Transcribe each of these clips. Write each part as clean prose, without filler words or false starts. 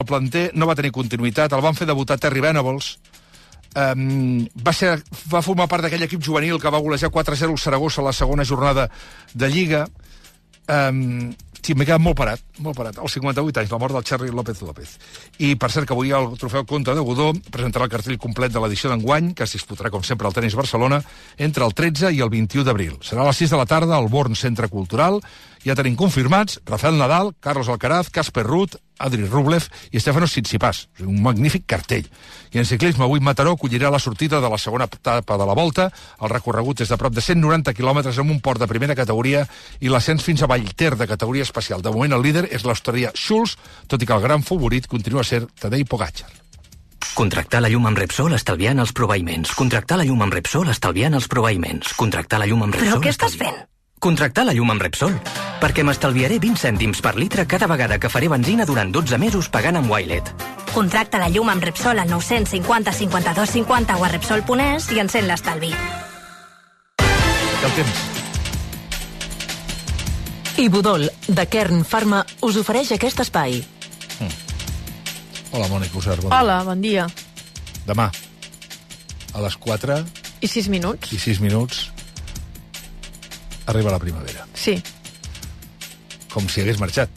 el planter no va tenir continuïtat, el van fer debutar Terry Venables, va formar part d'aquell equip juvenil que va golejar 4-0 al Saragossa a la segona jornada de Lliga. Sí, m'he quedat molt parat. Als 58 anys, la mort del Charly López. I, per cert, que avui el trofeu Comte de Godó presentarà el cartell complet de l'edició d'enguany, que es disputarà, com sempre, al Tenis Barcelona, entre el 13 i el 21 d'abril. Serà a les 6 de la tarda al Born Centre Cultural. Ja tenim confirmats Rafael Nadal, Carlos Alcaraz, Casper Ruud, Adri Rublev i Stefanos Tsitsipas. Un magnífic cartell. I en ciclisme, avui Mataró acollirà la sortida de la segona etapa de la Volta. El recorregut és de prop de 190 quilòmetres amb un port de primera categoria i l'ascens fins a Vallter de categoria especial. De moment el líder és l'australià Schulz, tot i que el gran favorit continua a ser Tadej Pogačar. Contractar la llum amb Repsol estalviant els proveïments. Contractar la llum amb Repsol estalviant els proveïments. Contractar la llum amb Repsol... Però què estàs fent? Contractar la llum amb Repsol, perquè m'estalviaré 20 cèntims per litre cada vegada que faré benzina durant 12 mesos pagant amb Wilet. Contracta la llum amb Repsol al 950 52 50 o a Repsol.es i encén l'estalvi. El temps. Ibudol, de Kern Pharma, us ofereix aquest espai. Hola, Mònica Usar. Bon dia. Hola, bon dia. Demà, a les 4 I 6 minuts. i 6 minuts, arriba la primavera. Sí. Com si hagués marxat.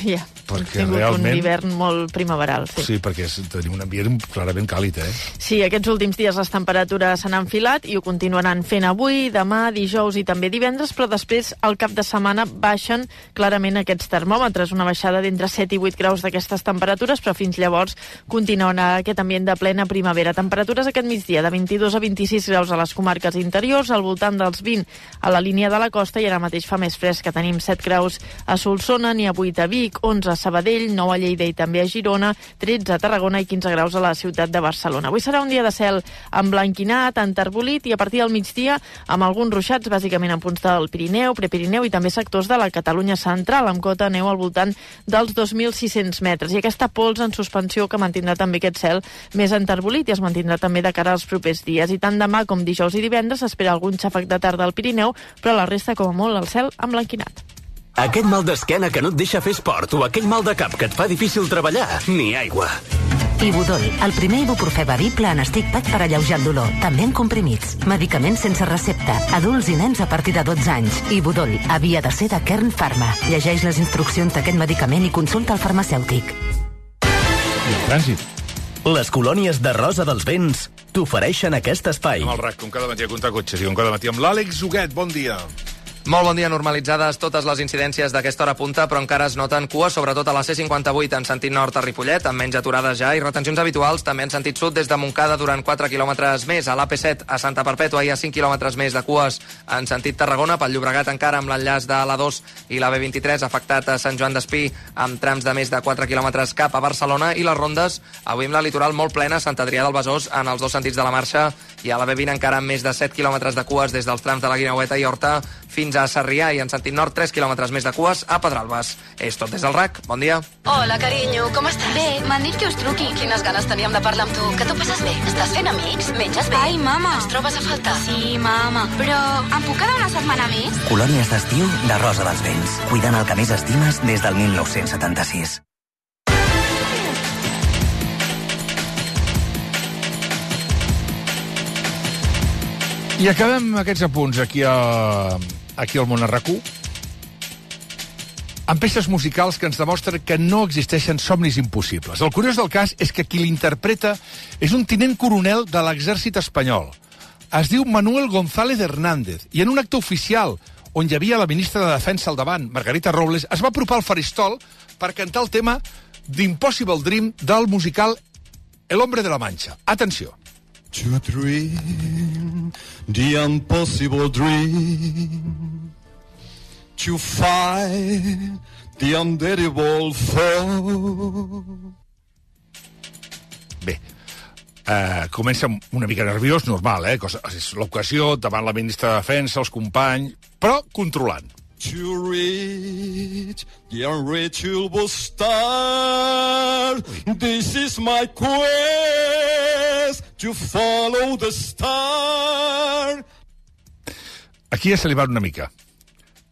Ja, Perquè hem tingut realment... un hivern molt primaveral, sí. Sí, perquè tenim un ambient clarament càlid, Sí, aquests últims dies les temperatures s'han enfilat i ho continuaran fent avui, demà, dijous i també divendres, però després, al cap de setmana, baixen clarament aquests termòmetres, una baixada d'entre 7 i 8 graus d'aquestes temperatures, però fins llavors continuarà aquest ambient de plena primavera. Temperatures aquest migdia de 22 a 26 graus a les comarques interiors, al voltant dels 20 a la línia de la costa, i ara mateix fa més fresc, que tenim 7 graus a Solsona, n'hi ha 8 a Vic, 11 a Sabadell, 9 a Lleida i també a Girona, 13 a Tarragona i 15 graus a la ciutat de Barcelona. Avui serà un dia de cel emblanquinat, enterbolit, i a partir del migdia amb alguns ruixats, bàsicament en punts del Pirineu, Prepirineu i també sectors de la Catalunya central, amb cota de neu al voltant dels 2.600 metres. I aquesta pols en suspensió que mantindrà també aquest cel més enterbolit i es mantindrà també de cara als propers dies. I tant demà com dijous i divendres s'espera algun xàfec de tarda al Pirineu, però la resta, com a molt, el cel emblanquinat. Aquest mal d'esquena que no et deixa fer esport o aquell mal de cap que et fa difícil treballar, ni aigua. Ibudol, el primer ibuprofè bevible en stick pack per alleujar el dolor, també en comprimits. Medicaments sense recepta, adults i nens a partir de 12 anys. Ibudol, havia de ser de Kern Pharma. Llegeix les instruccions d'aquest medicament i consulta el farmacèutic. I el trànsit. Les colònies de Rosa dels Vents t'ofereixen aquest espai. Amb el RAC, com cada matí a comptar cotxes i com cada matí amb l'Àlex Huguet. Bon dia. Molt bon dia, normalitzades totes les incidències d'aquesta hora punta, però encara es noten cues, sobretot a la C58 en sentit nord a Ripollet, amb menys aturades ja, i retencions habituals també en sentit sud des de Montcada durant 4 quilòmetres més. A l'AP7 a Santa Perpètua hi ha 5 quilòmetres més de cues en sentit Tarragona, pel Llobregat encara amb l'enllaç de l'A2 i la B23 afectat a Sant Joan d'Espí amb trams de més de 4 quilòmetres cap a Barcelona, i les rondes avui amb la litoral molt plena, Sant Adrià del Besòs en els dos sentits de la marxa, i a la B20 encara amb més de 7 quilòmetres de cues des dels trams de la Guineueta i Horta fins a Sarrià, i en sentit nord 3 quilòmetres més de cues a Pedralbes. És tot des del RAC. Bon dia. Hola, carinyo, com estàs? Bé, m'han dit que us truqui. Quines ganes teníem de parlar amb tu. Que t'ho passes bé? Estàs fent amics? Menges bé? Ai, mama. Ens trobes a faltar? Sí, mama. Però em puc quedar una setmana més? Colònies d'estiu de Rosa dels Vents. Cuidant el que més estimes des del 1976. I acabem aquests apunts aquí al Món RAC1 amb peces musicals que ens demostren que no existeixen somnis impossibles. El curiós del cas és que qui l'interpreta és un tinent coronel de l'exèrcit espanyol. Es diu Manuel González Hernández, i en un acte oficial on hi havia la ministra de Defensa al davant, Margarita Robles, es va apropar al faristol per cantar el tema d'Impossible Dream del musical El Hombre de la Mancha. Atenció. To dream the impossible dream, to fight the unbeatable foe. Bé, comença una mica nerviós, normal, és l'ocasió, davant la ministra de Defensa, els companys, però controlant. To reach the unreachable star, this is my quest, to follow the star. Aquí ja se li va una mica,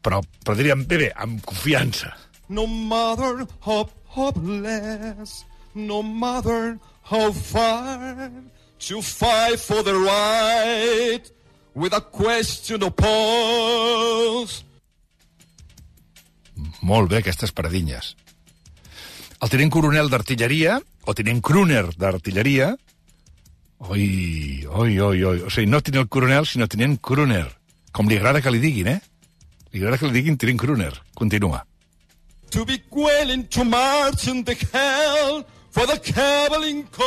però diríem, bé, amb confiança. No matter how hopeless no matter how far, to fight for the right with a question of pulse. Molt bé, aquestes paradinyes. El tinent coronel d'artilleria, o tinent crooner d'artilleria, o sigui, no tinent coronel, sinó tinent crooner. Com li agrada que li diguin, Li agrada que li diguin tinent crooner. Continua. To be willing to march in the hell for the caballing cause.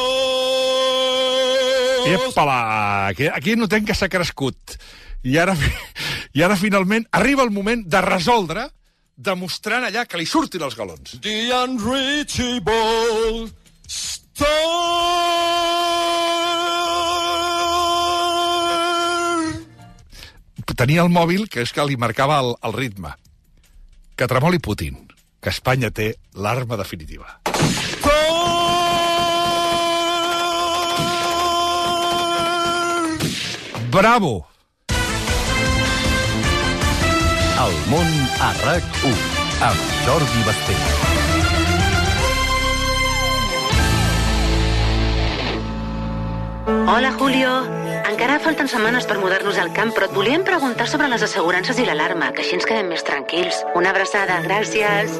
Epala! Aquí notem que s'ha crescut. I ara finalment arriba el moment de resoldre, demostrant allà que li surtin els galons. The unreachable star. Tenia el mòbil, que és que li marcava el ritme. Que tremoli Putin, que Espanya té l'arma definitiva. Bravo! El món a RAC1, amb Jordi Basté. Hola, Julio. Encara falten setmanes per mudar-nos al camp, però et volíem preguntar sobre les assegurances i l'alarma, que així ens quedem més tranquils. Una abraçada, gràcies.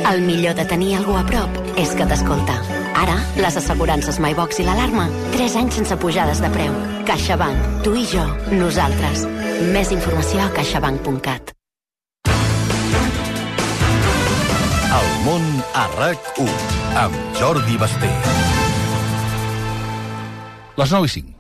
El millor de tenir algú a prop és que t'escolta. Ara, les assegurances MyBox i l'alarma, 3 anys sense pujades de preu. CaixaBank, tu i jo, nosaltres. Més informació a caixabank.cat. El món a RAC1, amb Jordi Basté. Les 9:05.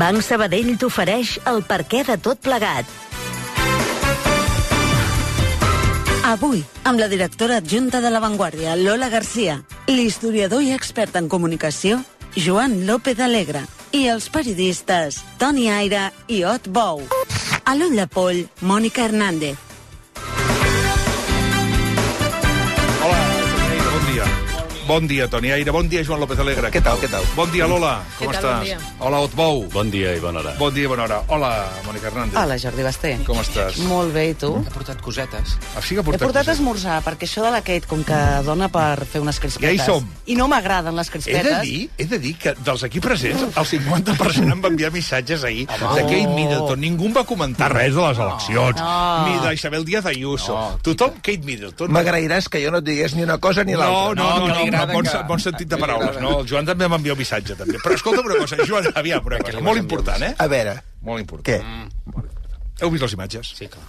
Banc Sabadell t'ofereix el perquè de tot plegat. Avui, amb la directora adjunta de La Vanguardia, Lola Garcia, l'historiador i expert en comunicació, Joan López Alegre, i els periodistes Toni Aire i Ot Bou. A l'ull de poll, Mònica Hernández. Bon dia, Toni Aire. Bon dia, Joan López Alegre. Què tal, què tal? Bon dia, Lola. Com estàs? Bon dia. Hola, Otbou. Bon dia i bona hora. Bon dia i bona hora. Hola, Mònica Hernández. Hola, Jordi Basté. Com estàs? Molt bé, i tu? He portat cosetes. Ah, sí que He portat esmorzar, perquè això de la Kate, com que dona per fer unes crispetes... Ja hi som. I no m'agraden les crispetes. He de dir que dels aquí presents, el 50% em va enviar missatges ahir de Kate Middleton. Ningú em va comentar res de les eleccions. Ni d'Isabel Díaz Ayuso. Tothom, Kate Middleton. M'agrairàs que jo no et digués ni una cosa ni l'altra. No, bon sentit de paraules, no? El Joan també m'envia un missatge, també. Però escolta una cosa, Joan, aviam, una cosa. Molt important, A veure. Molt important. Què? Heu vist les imatges? Sí, clar.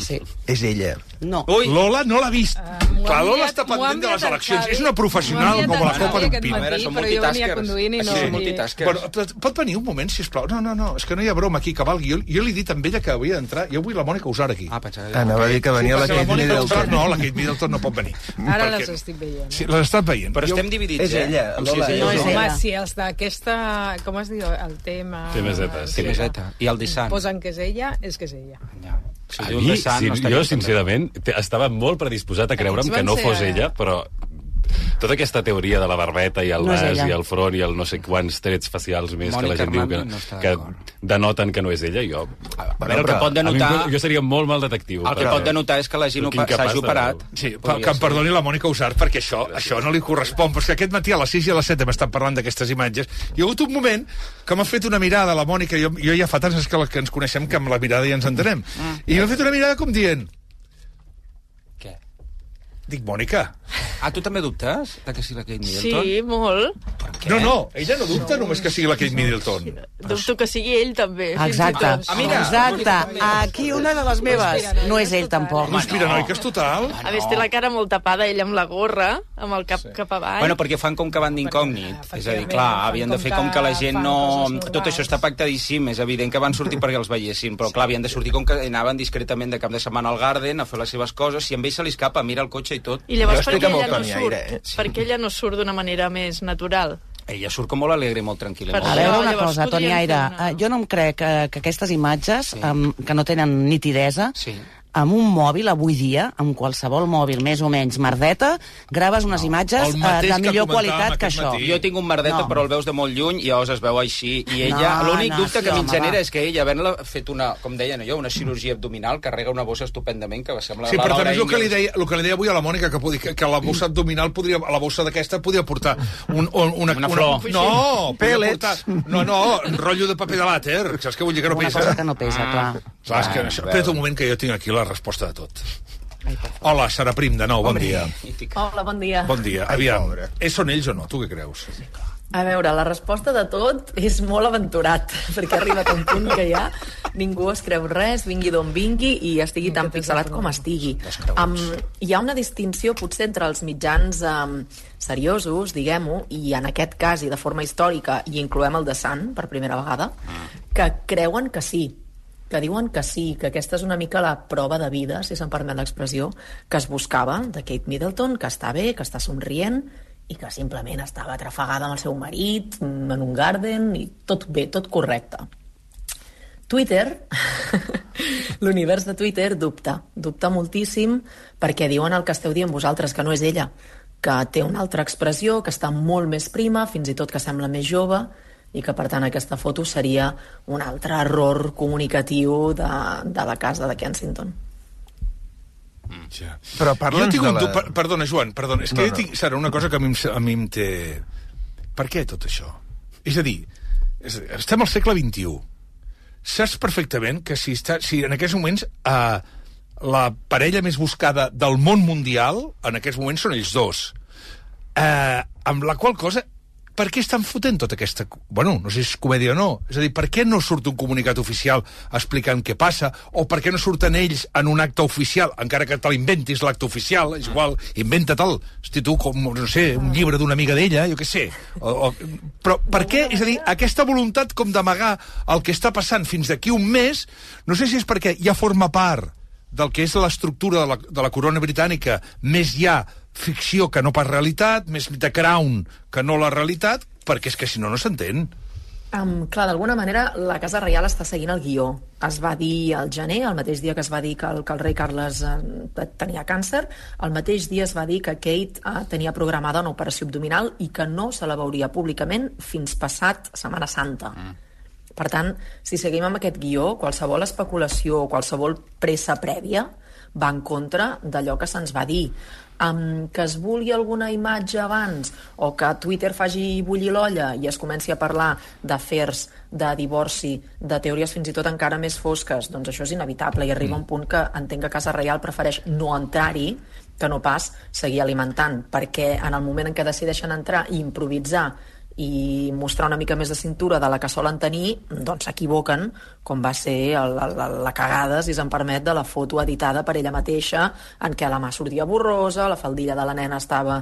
Sí. És ella. No. Ui. Lola no l'ha vist. Clar, Lola està pendent de les eleccions. És una professional com la copa d'un pino. A veure, són multitaskers. Sí, multitaskers. Pot venir un moment, sisplau? No, és que no hi ha broma aquí, que valgui. Jo li he dit a ella que havia d'entrar. Jo vull la Mònica Usar aquí. Anava a dir que venia la Kate Middleton. No, la Kate Middleton no pot venir. Ara les estic veient. Sí, les estàs veient. Però estem dividits, És ella, Lola. Home, si els d'aquesta... Com es diu? El tema... Temeseta. I el dissant. Posen que és ella, és que és ella. A mi, jo, sincerament, estava molt predisposat a creure'm que no fos ella, però tota aquesta teoria de la barbeta i el nas i el front i el no sé quants trets facials més que la gent diu que denoten que no és ella, jo... Però el que pot denotar... Jo seria molt mal detectiu. El que pot denotar és que la gent s'hagi operat. Sí, que em perdoni la Mònica Usart, perquè això no li correspon. Però és que aquest matí a les 6 i a les 7 hem estat parlant d'aquestes imatges. Hi ha hagut un moment que m'ha fet una mirada a la Mònica, jo ja fa tants que ens coneixem que amb la mirada ja ens entenem. I m'ha fet una mirada com dient... Què? Dic, Mònica... Ah, tu també dubtes de que sigui la Kate Middleton? Sí, molt. No, ella no dubta només que sigui la Kate Middleton. Dubto que sigui ell, també. Exacte. Exacte. Aquí una de les meves. No és ell, tampoc. Conspiranoiques total. A més, té la cara molt tapada, ell amb la gorra, amb el cap cap avall. Bueno, perquè fan com que van d'incògnit. És a dir, clar, havien de fer com que la gent no... Tot això està pactadíssim, és evident que van sortir perquè els veiessin, però clar, havien de sortir com que anaven discretament de cap de setmana al Garden a fer les seves coses, si amb ell se li escapa, mira el cotxe i tot. I llavors perquè ella no surt d'una manera més natural. Ella surt com molt alegre i molt tranquil·la. A veure una cosa, Toni Aire, jo no em crec que aquestes imatges, que no tenen nitidesa, amb un mòbil, avui dia, amb qualsevol mòbil més o menys merdeta, graves unes imatges de millor qualitat que això. Jo tinc un merdeta, però el veus de molt lluny i llavors es veu així. I ella, l'únic dubte que em genera és que ella, havent-la fet com deien jo, una cirurgia abdominal, carrega una bossa estupendament, que sembla... Sí, però també és el que li deia avui a la Mònica, que la bossa abdominal, la bossa d'aquesta podria portar una flor. No, pèl·lets. No, rotllo de paper de vàter. Saps què vull dir? Que no pesa. Una cosa que no pesa, clar. Espera't un moment que jo tinc aquí la resposta de tot. Hola, Sara Prim, de nou, bon dia. Hola, bon dia. Bon dia. Aviam, són ells o no? Tu què creus? A veure, la resposta de tot és molt aventurat, perquè ha arribat a un punt que ja ningú es creu res, vingui d'on vingui i estigui tan pixelat com estigui. Hi ha una distinció potser entre els mitjans seriosos, diguem-ho, i en aquest cas i de forma històrica, i incloem el The Sun per primera vegada, que creuen que sí, que diuen que sí, que aquesta és una mica la prova de vida, si se'm permet l'expressió, que es buscava de Kate Middleton, que està bé, que està somrient, i que simplement estava atrafegada amb el seu marit, en un garden, i tot bé, tot correcte. Twitter, l'univers de Twitter dubta moltíssim perquè diuen el que esteu dient vosaltres, que no és ella, que té una altra expressió, que està molt més prima, fins i tot que sembla més jove, i que per tant aquesta foto seria un altre error comunicatiu de la casa de Kensington. Ja. Però parla'ns de la... Perdona, Joan, és que jo tinc, Sara, una cosa que a mi em té... Per què tot això? És a dir, estem al segle XXI. Saps perfectament que si en aquests moments la parella més buscada del món mundial, en aquests moments són ells dos. Amb la qual cosa... Per què estan fotent tota aquesta... Bueno, no sé si és comèdia o no. És a dir, per què no surt un comunicat oficial explicant què passa? O per què no surten ells en un acte oficial, encara que te l'inventis l'acte oficial, és igual, inventa-te'l. Hosti, tu, com, no sé, un llibre d'una amiga d'ella, jo què sé. Però per què? És a dir, aquesta voluntat com d'amagar el que està passant fins d'aquí un mes, no sé si és perquè ja forma part del que és l'estructura de la corona britànica, més hi ha ficció que no pas realitat, més The Crown que no la realitat, perquè és que si no, no s'entén. Clar, d'alguna manera la Casa Reial està seguint el guió. Es va dir al gener, el mateix dia que es va dir que el rei Carles tenia càncer, el mateix dia es va dir que Kate tenia programada una operació abdominal i que no se la veuria públicament fins passat Setmana Santa. Per tant, si seguim amb aquest guió, qualsevol especulació o qualsevol pressa prèvia va en contra d'allò que se'ns va dir. Que es vulgui alguna imatge abans o que Twitter faci bullir l'olla i es comenci a parlar d'afers, de divorci, de teories fins i tot encara més fosques, doncs això és inevitable i arriba un punt que entenc que Casa Reial prefereix no entrar-hi que no pas seguir alimentant, perquè en el moment en què decideixen entrar i improvisar i mostrar una mica més de cintura de la que solen tenir, doncs s'equivoquen, com va ser la cagada, si se'm permet, de la foto editada per ella mateixa, en què la mà sortia borrosa, la faldilla de la nena estava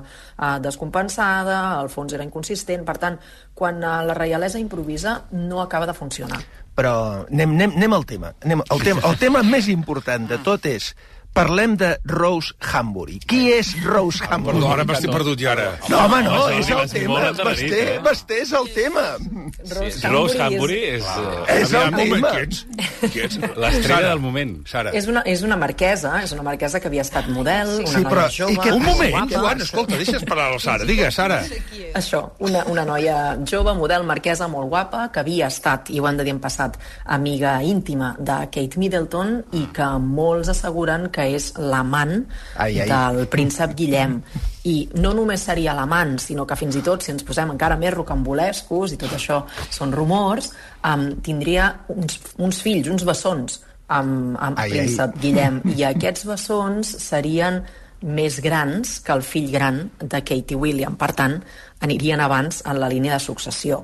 descompensada, el fons era inconsistent. Per tant, quan la reialesa improvisa, no acaba de funcionar. Però anem al tema. El tema més important de tot és... Parlem de Rose Hambury. Qui és Rose Hambury? Perdó, ara m'estic perdut ja ara. No, home, no, és el tema. Basté és el tema. Rose Hambury és el tema. Qui ets? L'estrella del moment. Sara. És una marquesa que havia estat model, una noia jove... Un moment, Joan, escolta, deixa'ns parlar a la Sara. Digues, Sara. Això, una noia jove, model, marquesa, molt guapa, que havia estat, i ho han de dir en passat, amiga íntima de Kate Middleton i que molts asseguren que és l'amant del príncep Guillem. I no només seria l'amant, sinó que fins i tot, si ens posem encara més rocambolescos, i tot això són rumors, tindria uns fills, uns bessons amb príncep Guillem. I aquests bessons serien més grans que el fill gran de Kate i William. Per tant, anirien abans en la línia de successió.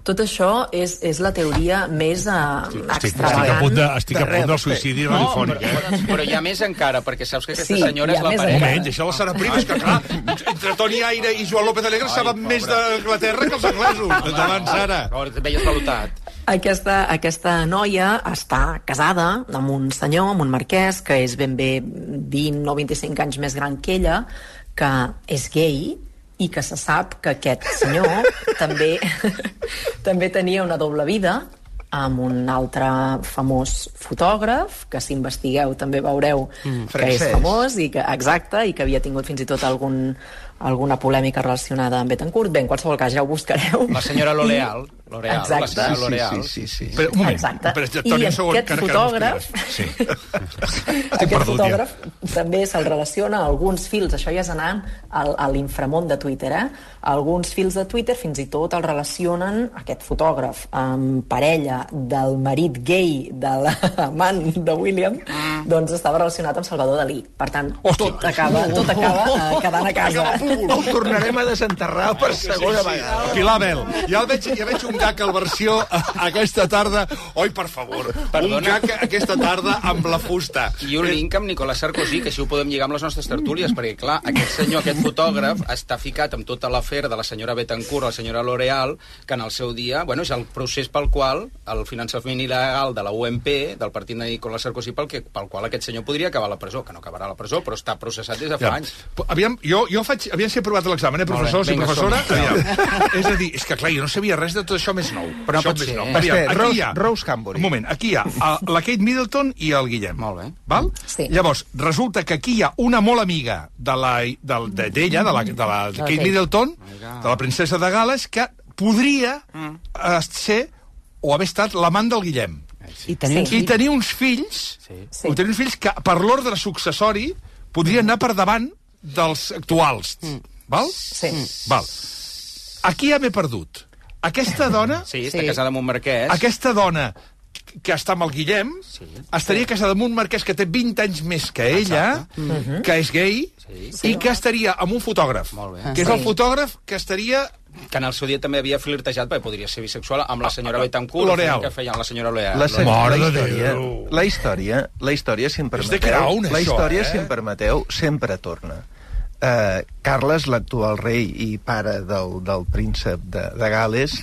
Tot això és la teoria més extravagant. Estic a punt del suïcidi radiofònic. Però hi ha més encara, perquè saps que aquesta senyora és la parella. Un moment, deixa la Sara Prim, és que clar, entre Toni Aire i Joan López Alegre saben més d'Anglaterra que els anglesos. Endavant, Sara. Veies pelotat. Aquesta noia està casada amb un senyor, amb un marquès, que és ben bé 20 o 25 anys més gran que ella, que és gay, i que se sap que aquest senyor també tenia una doble vida amb un altre famós fotògraf, que si investigueu també veureu que és famós, i que, exacte, i que havia tingut fins i tot alguna polèmica relacionada amb Betancourt. Bé, en qualsevol cas, ja ho buscareu. La senyora L'Oreal. Exacte. La senyora L'Oreal. Sí. Però, un moment. Exacte. Toni, I aquest fotògraf... Sí. Aquest fotògraf també se'l relaciona a alguns fils, això ja és anant a l'inframont de Twitter, alguns fils de Twitter fins i tot el relacionen, aquest fotògraf, amb parella del marit gay de l'amant de William, doncs estava relacionat amb Salvador Dalí. Per tant, tot acaba quedant a casa. Ho tornarem a desenterrar per segona vegada. Pilar Bel, ja veig un gag al versió aquesta tarda. Oi, per favor, un gag aquesta tarda amb la fusta. I un link amb Nicolas Sarkozy, que així ho podem lligar amb les nostres tertúlies, perquè, clar, aquest senyor, aquest fotògraf, està ficat amb tota l'afer de la senyora Betancourt, la senyora L'Oreal, que en el seu dia, bueno, és el procés pel qual el finançament il·legal de la UMP, del partit de Nicolas Sarkozy, pel qual aquest senyor podria acabar a la presó, que no acabarà a la presó, però està processat des de fa anys. Aviam si he provat l'examen, professors i professora. És a dir, és que clar, jo no sabia res de tot això més nou. Però no pot ser. Aquí hi ha... Rose Hambury. Un moment, aquí hi ha la Kate Middleton i el Guillem. Molt bé. Val? Sí. Llavors, resulta que aquí hi ha una molt amiga d'ella, de la Kate Middleton, de la princesa de Gal·les, que podria ser o haver estat l'amant del Guillem. I tenir uns fills que, per l'ordre successori, podrien anar per davant dels actuals. Val? Sí. Val. Aquí ja m'he perdut. Aquesta dona... Sí, està casada amb un marquès. Aquesta dona que està amb el Guillem estaria casada amb un marquès que té 20 anys més que ella, que és gay, i que estaria amb un fotògraf, que és el fotògraf que estaria... Que en el seu dia també havia flirtejat, perquè podria ser bisexual, amb la senyora Betancourt, L'Oreal. Que feia la senyora L'Oreal. La història, si em permeteu, si em permeteu, sempre torna. Carles, l'actual rei i pare del príncep de Gal·les,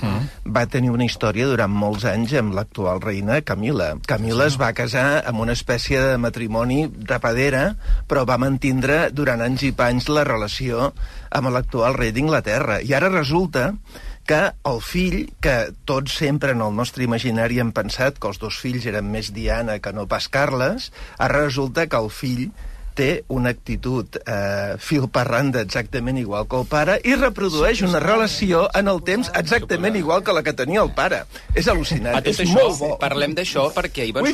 va tenir una història durant molts anys amb l'actual reina Camila. Camila es va casar amb una espècie de matrimoni tapadera, però va mantindre durant anys i panys la relació amb l'actual rei d'Inglaterra. I ara resulta que el fill, que tots sempre en el nostre imaginari hem pensat que els dos fills eren més Diana que no pas Carles, ara resulta que el fill té una actitud filparranda exactament igual que el pare i reprodueix una relació en el temps exactament igual que la que tenia el pare. És al·lucinant, és molt bo. Parlem d'això perquè ahir van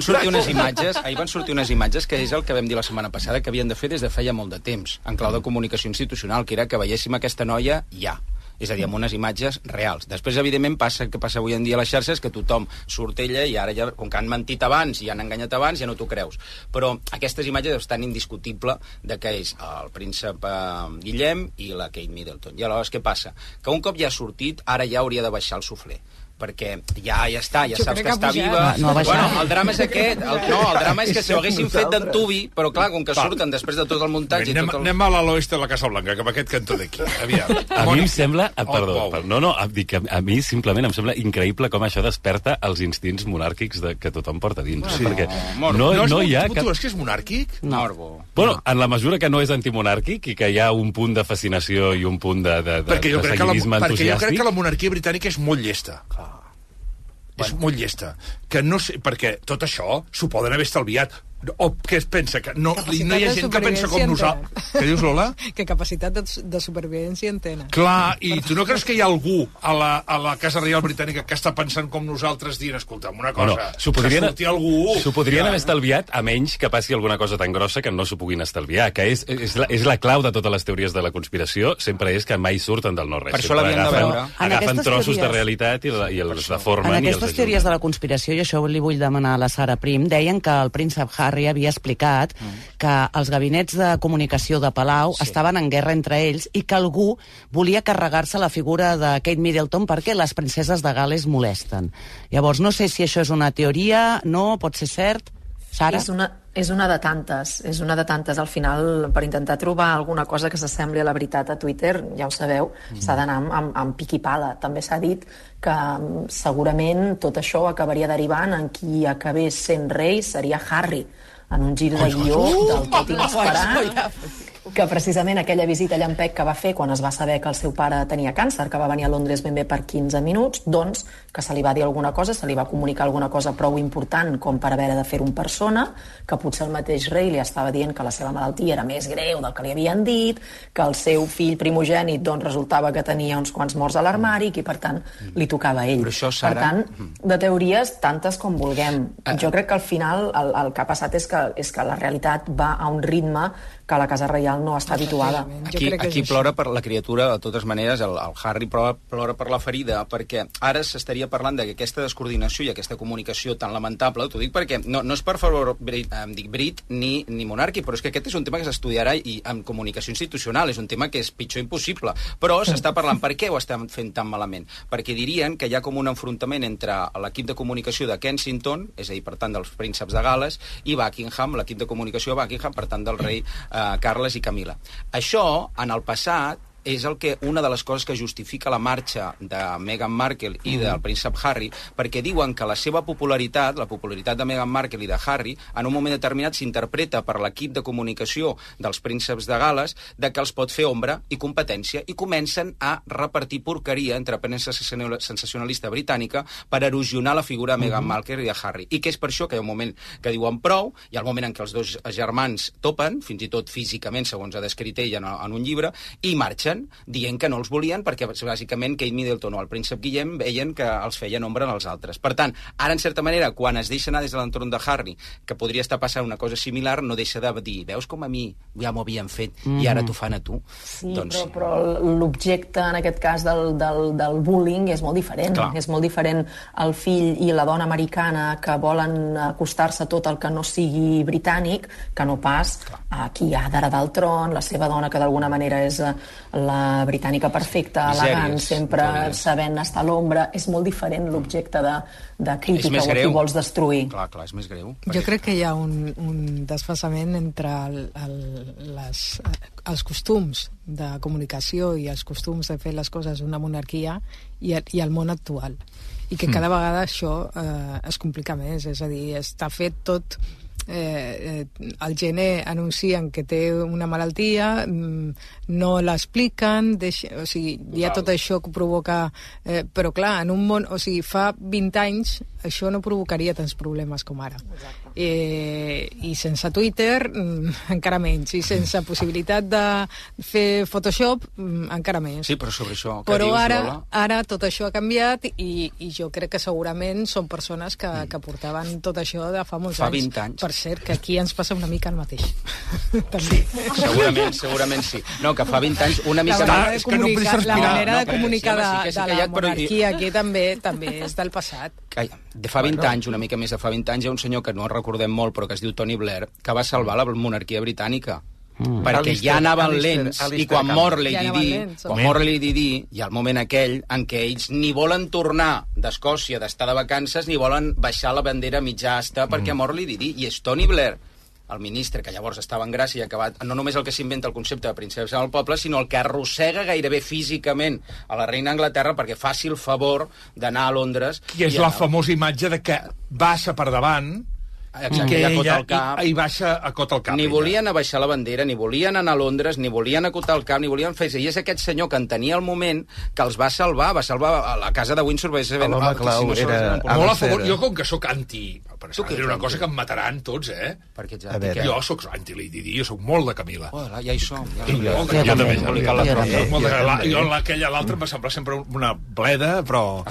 sortir unes imatges que és el que vam dir la setmana passada que havien de fer des de feia molt de temps, en clau de comunicació institucional, que era que veiéssim aquesta noia ja. És a dir, amb unes imatges reals. Després, evidentment, passa el que passa avui en dia a les xarxes, que tothom surt ella i ara ja, com que han mentit abans i han enganyat abans, ja no t'ho creus. Però aquestes imatges estan indiscutible de que és el príncep Guillem i la Kate Middleton. I aleshores, què passa? Que un cop ja ha sortit, ara ja hauria de baixar el suflé. perquè ja està, ja saps que està viva. Bueno, el drama és aquest. El drama és que si ho haguessin fet d'antubi, però clar, com que surten després de tot el muntatge... Anem a l'oest de la Casa Blanca, cap a aquest cantó d'aquí. A mi em sembla... a mi simplement em sembla increïble com això desperta els instints monàrquics que tothom porta dins. Perquè no hi ha... Tu és que és monàrquic? No. Bueno, en la mesura que no és antimonàrquic i que hi ha un punt de fascinació i un punt de seguidisme entusiàstic... Perquè jo crec que la monarquia britànica és molt llesta. És molt llesta. Que no sé, perquè tot això s'ho poden haver estalviat. O què es pensa? Que no hi ha gent que pensa com nosaltres. Què dius, Lola? Que capacitat de supervivència en tenen. Clar, i tu no creus que hi ha algú a la Casa Reial Britànica que està pensant com nosaltres dient, escolta'm, una cosa, s'ho podrien haver estalviat, a menys que passi alguna cosa tan grossa que no s'ho puguin estalviar, que és la clau de totes les teories de la conspiració, sempre és que mai surten del no-res. Per això l'havien de veure. Agafen trossos de realitat i els deformen. En aquestes teories de la conspiració, i això li vull demanar a la Sara Prim, deien que el príncep Harry havia explicat que els gabinets de comunicació de Palau estaven en guerra entre ells i que algú volia carregar-se la figura de Kate Middleton perquè les princeses de Gal·les molesten. Llavors, no sé si això és una teoria, no, pot ser cert. Sara? És una de tantes. Al final, per intentar trobar alguna cosa que s'assembli a la veritat a Twitter, ja ho sabeu, s'ha d'anar amb pic i pala. També s'ha dit que segurament tot això acabaria derivant en qui acabés sent rei seria Harry, en un gir de guió del tot inesperat. que precisament aquella visita llampec que va fer quan es va saber que el seu pare tenia càncer, que va venir a Londres ben bé per 15 minuts, doncs que se li va dir alguna cosa, se li va comunicar alguna cosa prou important com per haver de fer-ho en persona, que potser el mateix rei li estava dient que la seva malaltia era més greu del que li havien dit, que el seu fill primogènit doncs, resultava que tenia uns quants morts a l'armari i que per tant li tocava a ell. Però això, Sara... Per tant, de teories tantes com vulguem. Jo crec que al final el que ha passat és que la realitat va a un ritme que la Casa Reial no està habituada. Aquí plora per la criatura, de totes maneres, el Harry plora per la ferida, perquè ara s'estaria parlant d'aquesta descoordinació i aquesta comunicació tan lamentable, t'ho dic perquè no és per favor Brit ni monàrquic, però és que aquest és un tema que s'estudiarà i en comunicació institucional, és un tema que és pitjor impossible, però s'està parlant per què ho estem fent tan malament, perquè dirien que hi ha com un enfrontament entre l'equip de comunicació de Kensington, és a dir, per tant, dels prínceps de Gal·les, i Buckingham, l'equip de comunicació de Buckingham, per tant, del rei Carles i Camila. Això, en el passat, és una de les coses que justifica la marxa de Meghan Markle i del príncep Harry, perquè diuen que la seva popularitat, la popularitat de Meghan Markle i de Harry, en un moment determinat s'interpreta per l'equip de comunicació dels prínceps de Gal·les de que els pot fer ombra i competència i comencen a repartir porqueria entre premsa sensacionalista britànica per erosionar la figura de Meghan Markle i de Harry. I que és per això que hi ha un moment que diuen prou, hi ha el moment en què els dos germans topen, fins i tot físicament, segons ha descrit ell en un llibre, i marxen dient que no els volien perquè bàsicament Kate Middleton o el príncep Guillem veien que els feien ombra als altres. Per tant, ara en certa manera, quan es deixa anar des de l'entorn de Harry, que podria estar passant una cosa similar, no deixa de dir, veus com a mi ja m'ho havien fet i ara t'ho fan a tu. Sí, doncs... però l'objecte en aquest cas del bullying és molt diferent. Clar. És molt diferent el fill i la dona americana que volen acostar-se a tot el que no sigui britànic, que no pas a qui ha d'heredar el tron, la seva dona que d'alguna manera és la britànica perfecta, elegant, sempre sabent estar a l'ombra. És molt diferent l'objecte de crítica o a qui vols destruir. Clar, és més greu. Jo crec que hi ha un desfasament entre els costums de comunicació i els costums de fer les coses d'una monarquia i el món actual. I que cada vegada això es complica més, és a dir, està fet tot... al gener anuncien que té una malaltia, no l'expliquen, o sigui, hi ha tot això que provoca... però clar, en un món... O sigui, fa 20 anys això no provocaria tants problemes com ara. I sense Twitter encara menys, i sense possibilitat de fer Photoshop encara més. Sí, però sobre això que però dius, ara, Lola... ara tot això ha canviat i jo crec que segurament són persones que portaven tot això de fa molts anys. Fa 20 anys. Per cert, que aquí ens passa una mica el mateix. També. Segurament sí. No, que fa 20 anys una mica... La manera de comunicar de la monarquia aquí també és del passat. De fa 20 anys, una mica més de fa 20 anys, hi ha un senyor que no recordem molt, però que es diu Tony Blair, que va salvar la monarquia britànica. Perquè ja anaven lents, i quan mor Lady Di, hi ha el moment aquell en què ells ni volen tornar d'Escòcia, d'estar de vacances, ni volen baixar la bandera mitja asta perquè mor Lady Di, i és Tony Blair, el ministre, que llavors estava en gràcia i ha acabat, no només el que s'inventa el concepte de princesa del poble, sinó el que arrossega gairebé físicament a la reina d'Anglaterra perquè faci el favor d'anar a Londres. I és la famosa imatge de que baixa per davant i que ella baixa a cot al cap. Ni volien abaixar la bandera, ni volien anar a Londres, ni volien acotar el cap, ni volien fer... I és aquest senyor que entenia el moment que els va salvar a la casa de Windsor. L'home clau era... Molt a favor. Jo, com que sóc anti... Però és una cosa que em mataran tots, Perquè jo sóc anti-Lady Di, jo sóc molt de Camila. Ja hi som. Jo també. Jo l'altra em va semblar sempre una bleda, però...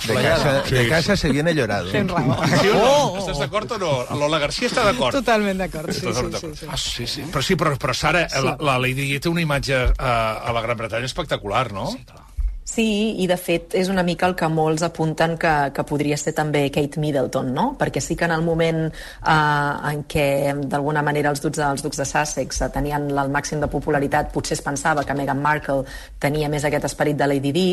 De casa se viene llorado. Tens raó. Estàs d'acord o no? Lola García està d'acord. Totalment d'acord, sí. Però Sara, la Lady Di té una imatge a la Gran Bretanya espectacular, no? Sí, clar. Sí, i de fet és una mica el que molts apunten que podria ser també Kate Middleton, no? Perquè sí que en el moment en què d'alguna manera els ducs de Sussex tenien el màxim de popularitat, potser es pensava que Meghan Markle tenia més aquest esperit de Lady Di,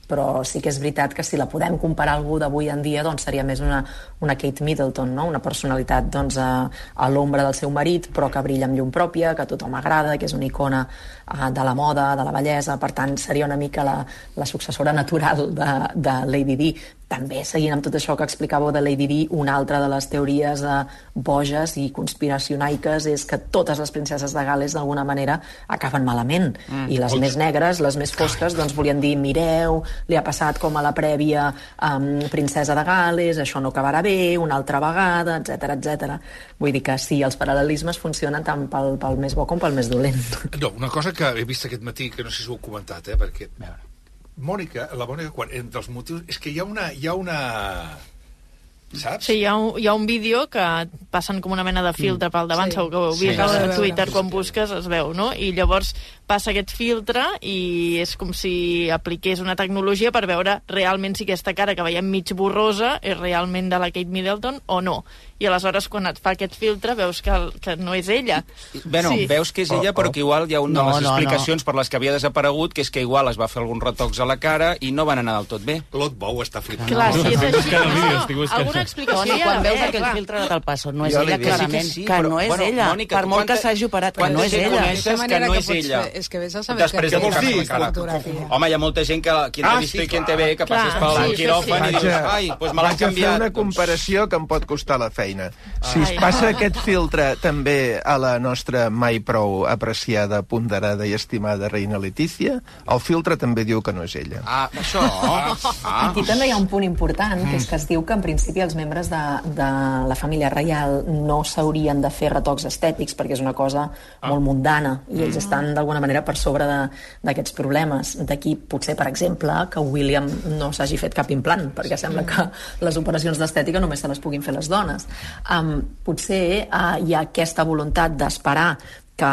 però sí que és veritat que si la podem comparar a algú d'avui en dia, doncs seria més una Kate Middleton, no? Una personalitat doncs, a l'ombra del seu marit, però que brilla amb llum pròpia, que a tothom agrada, que és una icona de la moda, de la bellesa. Per tant, seria una mica la successora natural de Lady Di. També, seguint amb tot això que explicàveu de Lady Di, una altra de les teories boges i conspiracionaiques és que totes les princeses de Gales d'alguna manera acaben malament, i les més negres, les més fosques, doncs volien dir, mireu, li ha passat com a la prèvia princesa de Gales, això no acabarà bé, una altra vegada, etc etc. Vull dir que sí, els paral·lelismes funcionen tant pel més bo com pel més dolent. No, una cosa que he vist aquest matí, que no sé si ho heu comentat, perquè la Mònica, quan, entre els motius, és que hi ha una... Saps? Sí, hi ha un vídeo que passen com una mena de filtre pel davant, segur que ho heu vist a Twitter, quan busques es veu, no? I llavors passa aquest filtre i és com si apliqués una tecnologia per veure realment si aquesta cara que veiem mig borrosa és realment de la Kate Middleton o no. I aleshores, quan et fa aquest filtre, veus que no és ella. Bueno, veus que és ella, però que igual hi ha una de les explicacions per les que havia desaparegut, que és que igual es va fer alguns retocs a la cara i no van anar del tot bé. Lot Bou està flipant. Clar, si és així, alguna explicació quan veus aquell filtre no te'l passo, no és ella, clarament, que no és ella. Per molt que s'hagi operat, que no és ella. Que no és ella. És que vés a saber què vols dir? Home, hi ha molta gent que qui t'ha vist i qui en té bé, que passes pel quiròfan i dius, ai, doncs me l'han canviat. Vaig a fer una comparació que em pot costar la feina. Si es passa aquest filtre també a la nostra mai prou apreciada, ponderada i estimada reina Letícia, el filtre també diu que no és ella. Això... Aquí també hi ha un punt important, que és que es diu que en principi els membres de la família reial no s'haurien de fer retocs estètics perquè és una cosa molt mundana i ells estan d'alguna manera per sobre d'aquests problemes. D'aquí potser, per exemple, que William no s'hagi fet cap implant, perquè sembla que les operacions d'estètica només se les puguin fer les dones. Potser hi ha aquesta voluntat d'esperar que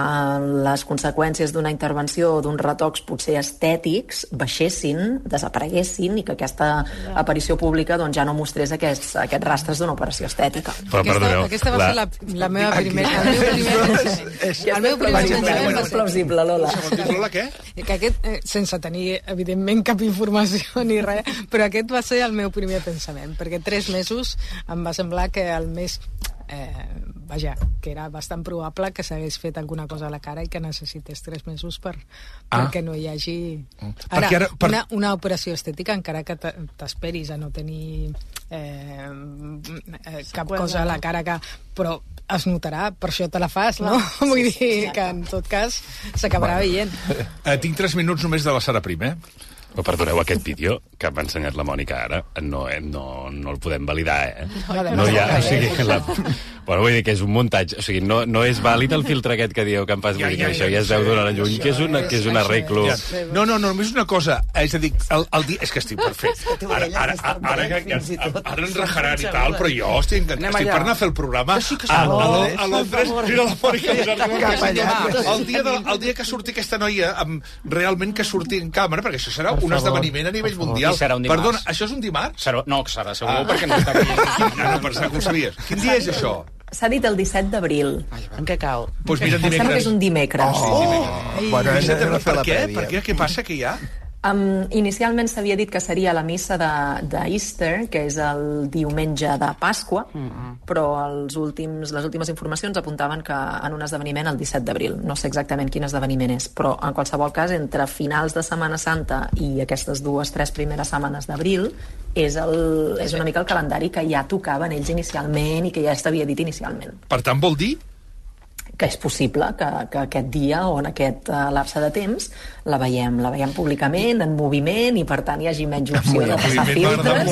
les conseqüències d'una intervenció o d'uns retocs potser estètics baixessin, desapareguessin i que aquesta aparició pública doncs, ja no mostrés aquests rastres d'una operació estètica. Aquesta va ser la meva primera... El meu primer pensament és plausible, Lola. Lola, què? Que aquest, sense tenir, evidentment, cap informació ni res, però aquest va ser el meu primer pensament, perquè 3 mesos em va semblar que el més... vaja, que era bastant probable que s'hagués fet alguna cosa a la cara i que necessités 3 mesos perquè no hi hagi... Ara, una operació estètica, encara que t'esperis a no tenir cap cosa a la cara però es notarà, per això te la fas, no? Vull dir que en tot cas s'acabarà veient. Tinc 3 minuts només de la Sara Prim, Però perdoneu, aquest vídeo que m'ha ensenyat la Mònica ara no el podem validar, No hi ha... O sigui, bueno, vull dir que és un muntatge, o sigui, no és vàlid el filtre aquest que dieu que em fas, vull dir que això ja es veu d'una lluny, que és un arreglo... No, només una cosa, és a dir, és que estic perfecte. Ara ens rajaran i tal, però jo estic per anar a fer el programa a Londres, mira la Mònica, el dia que surti aquesta noia, realment que surti en càmera, perquè això serà un esdeveniment a nivell mundial. Perdona, això és un dimarts? No, serà segur, perquè no està aquí. No, per saber que ho sabies. Quin dia és això? S'ha dit el 17 d'abril. En què cau? Doncs mira, dimecres. Em sembla que és un dimecres. Per què? Què passa que hi ha? Inicialment s'havia dit que seria la missa d'Easter, que és el diumenge de Pasqua, però les últimes informacions apuntaven que en un esdeveniment el 17 d'abril. No sé exactament quin esdeveniment és, però en qualsevol cas, entre finals de Setmana Santa i aquestes 2-3 primeres setmanes d'abril, és una mica el calendari que ja tocaven ells inicialment i que ja s'havia dit inicialment. Per tant, vol dir que és possible que aquest dia o en aquest lapse de temps la veiem públicament, en moviment, i per tant hi hagi menys opció de passar filtres.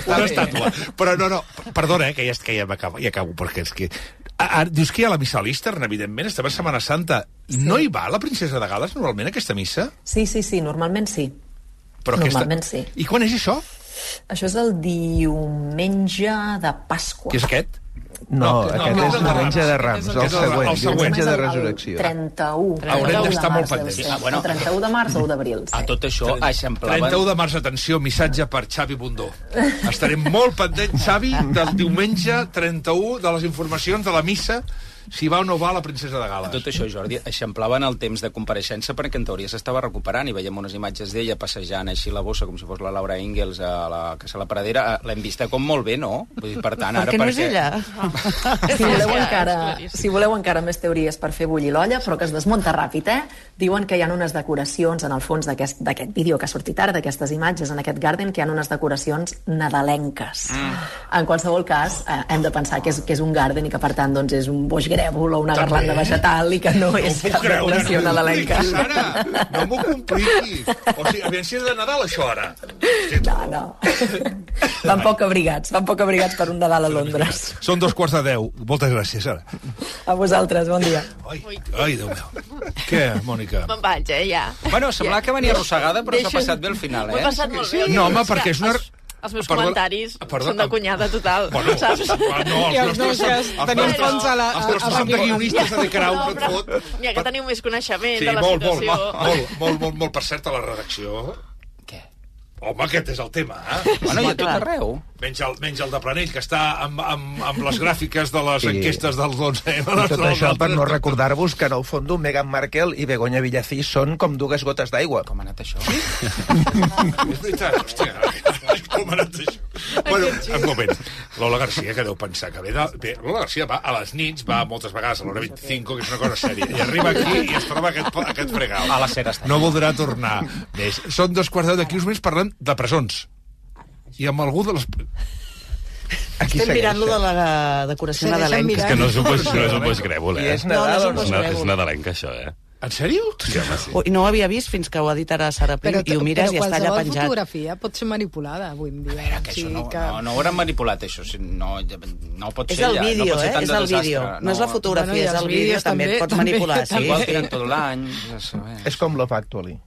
Una estàtua. Però no, perdona, que ja acabo, perquè és que... Dius que hi ha la missa a l'Eastern, evidentment, estem a Setmana Santa. No hi va la princesa de Gales, normalment, a aquesta missa? Sí, normalment sí. Normalment sí. I quan és això? Això és el diumenge de Pasqua. Què és aquest? No, aquest és el diumenge de Rams, el següent, diumenge de Resurrecció. 31. Haurem d'estar molt pendents. El 31 de març o d'abril. A tot això eixamplaven... 31 de març, atenció, missatge per Xavi Bundó. Estarem molt pendents, Xavi, del diumenge 31, de les informacions de la missa si va o no va la princesa de Gales. Tot això, Jordi, eixamplaven el temps de compareixença perquè en teoria s'estava recuperant i veiem unes imatges d'ella passejant així la bossa com si fos la Laura Ingalls a la Casa de la Pradera. L'hem vista com molt bé, no? Vull dir, per tant, ara... Perquè no és ella. Si voleu encara més teories per fer bullir l'olla, però que es desmunta ràpid, diuen que hi ha unes decoracions en el fons d'aquest vídeo que ha sortit ara, d'aquestes imatges en aquest Garden, que hi ha unes decoracions nadalenques. En qualsevol cas, hem de pensar que és un Garden i que, per tant, doncs, és un boix grèvol o una garlanda vegetal i que no és cap decoració nadalenca. No m'ho compliqui. O sigui, aviam si és de Nadal, això, ara. No. Van poc abrigats per un Nadal a Londres. Són 2:15. Moltes gràcies, ara. A vosaltres, bon dia. Ai, Déu meu. Què, Mònica? Me'n vaig, ja. Bueno, semblava que venia arrossegada, però s'ha passat bé al final, M'ho he passat molt bé. No, home, perquè és una... Els meus comentaris són de cunyada total, saps? No, els nostres són de guionistes de Carau, no et fot. N'hi ha que teniu més coneixement de la situació. Molt. Per cert, a la redacció... Què? Home, aquest és el tema, Bueno, i a tot arreu. Menys el de Planell, que està amb les gràfiques de les enquestes del 11M. I tot això per no recordar-vos que en el fons Meghan Markle i Begoña Villacís són com dues gotes d'aigua. Com ha anat això? És veritat, hòstia, com ha anat això? Bueno, un moment. Lola Garcia, que deu pensar que ve... Lola Garcia va a les nits, va moltes vegades a l'hora 25, que és una cosa sèria, i arriba aquí i es troba aquest fregau. A la cera està. No voldrà tornar més. Són 2:15 d'aquí uns mesos parlant de presons. I amb algú de les... Estem mirant-lo de la decoració nadalenca. És que no és un boix grèvol, És Nadal o no? És nadalenca, això, En sèrio? Sí, home, sí. No ho havia vist fins que ho ha dit ara Sara Prim i ho mires i està allà penjat. Però qualsevol fotografia pot ser manipulada avui en dia. A veure, que això no ho hauran manipulat, això. No pot ser és el vídeo, és el vídeo. No és la fotografia, és el vídeo, també et pots manipular. Igual tiren tot l'any. És com Love Actually.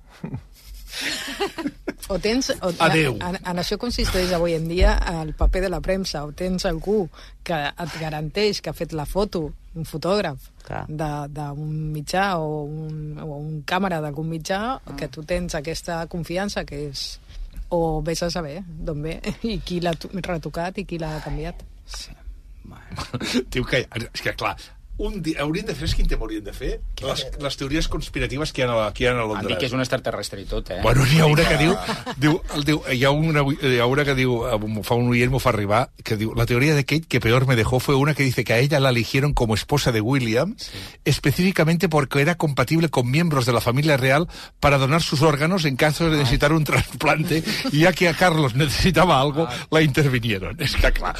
O tens... En això consisteix avui en dia el paper de la premsa. O tens algú que et garanteix que ha fet la foto, un fotògraf d'un mitjà o un càmera d'algun mitjà, que tu tens aquesta confiança que és... O vés a saber d'on ve i qui l'ha retocat i qui l'ha canviat. Sí. Diu que... És que, clar... Hauríem de fer, quin tema hauríem de fer? Les teories conspiratives que hi ha a Londres. Han dit que és un extraterrestre i tot, Bueno, n'hi ha una que diu... Hi ha una que diu... Fa un oient, m'ho fa arribar, que diu: la teoría de Kate que peor me dejó fue una que dice que a ella la eligieron como esposa de William, específicamente porque era compatible con miembros de la familia real para donar sus órganos en caso de necesitar un trasplante, y ya que a Carlos necesitaba algo, la intervinieron. És que, clar...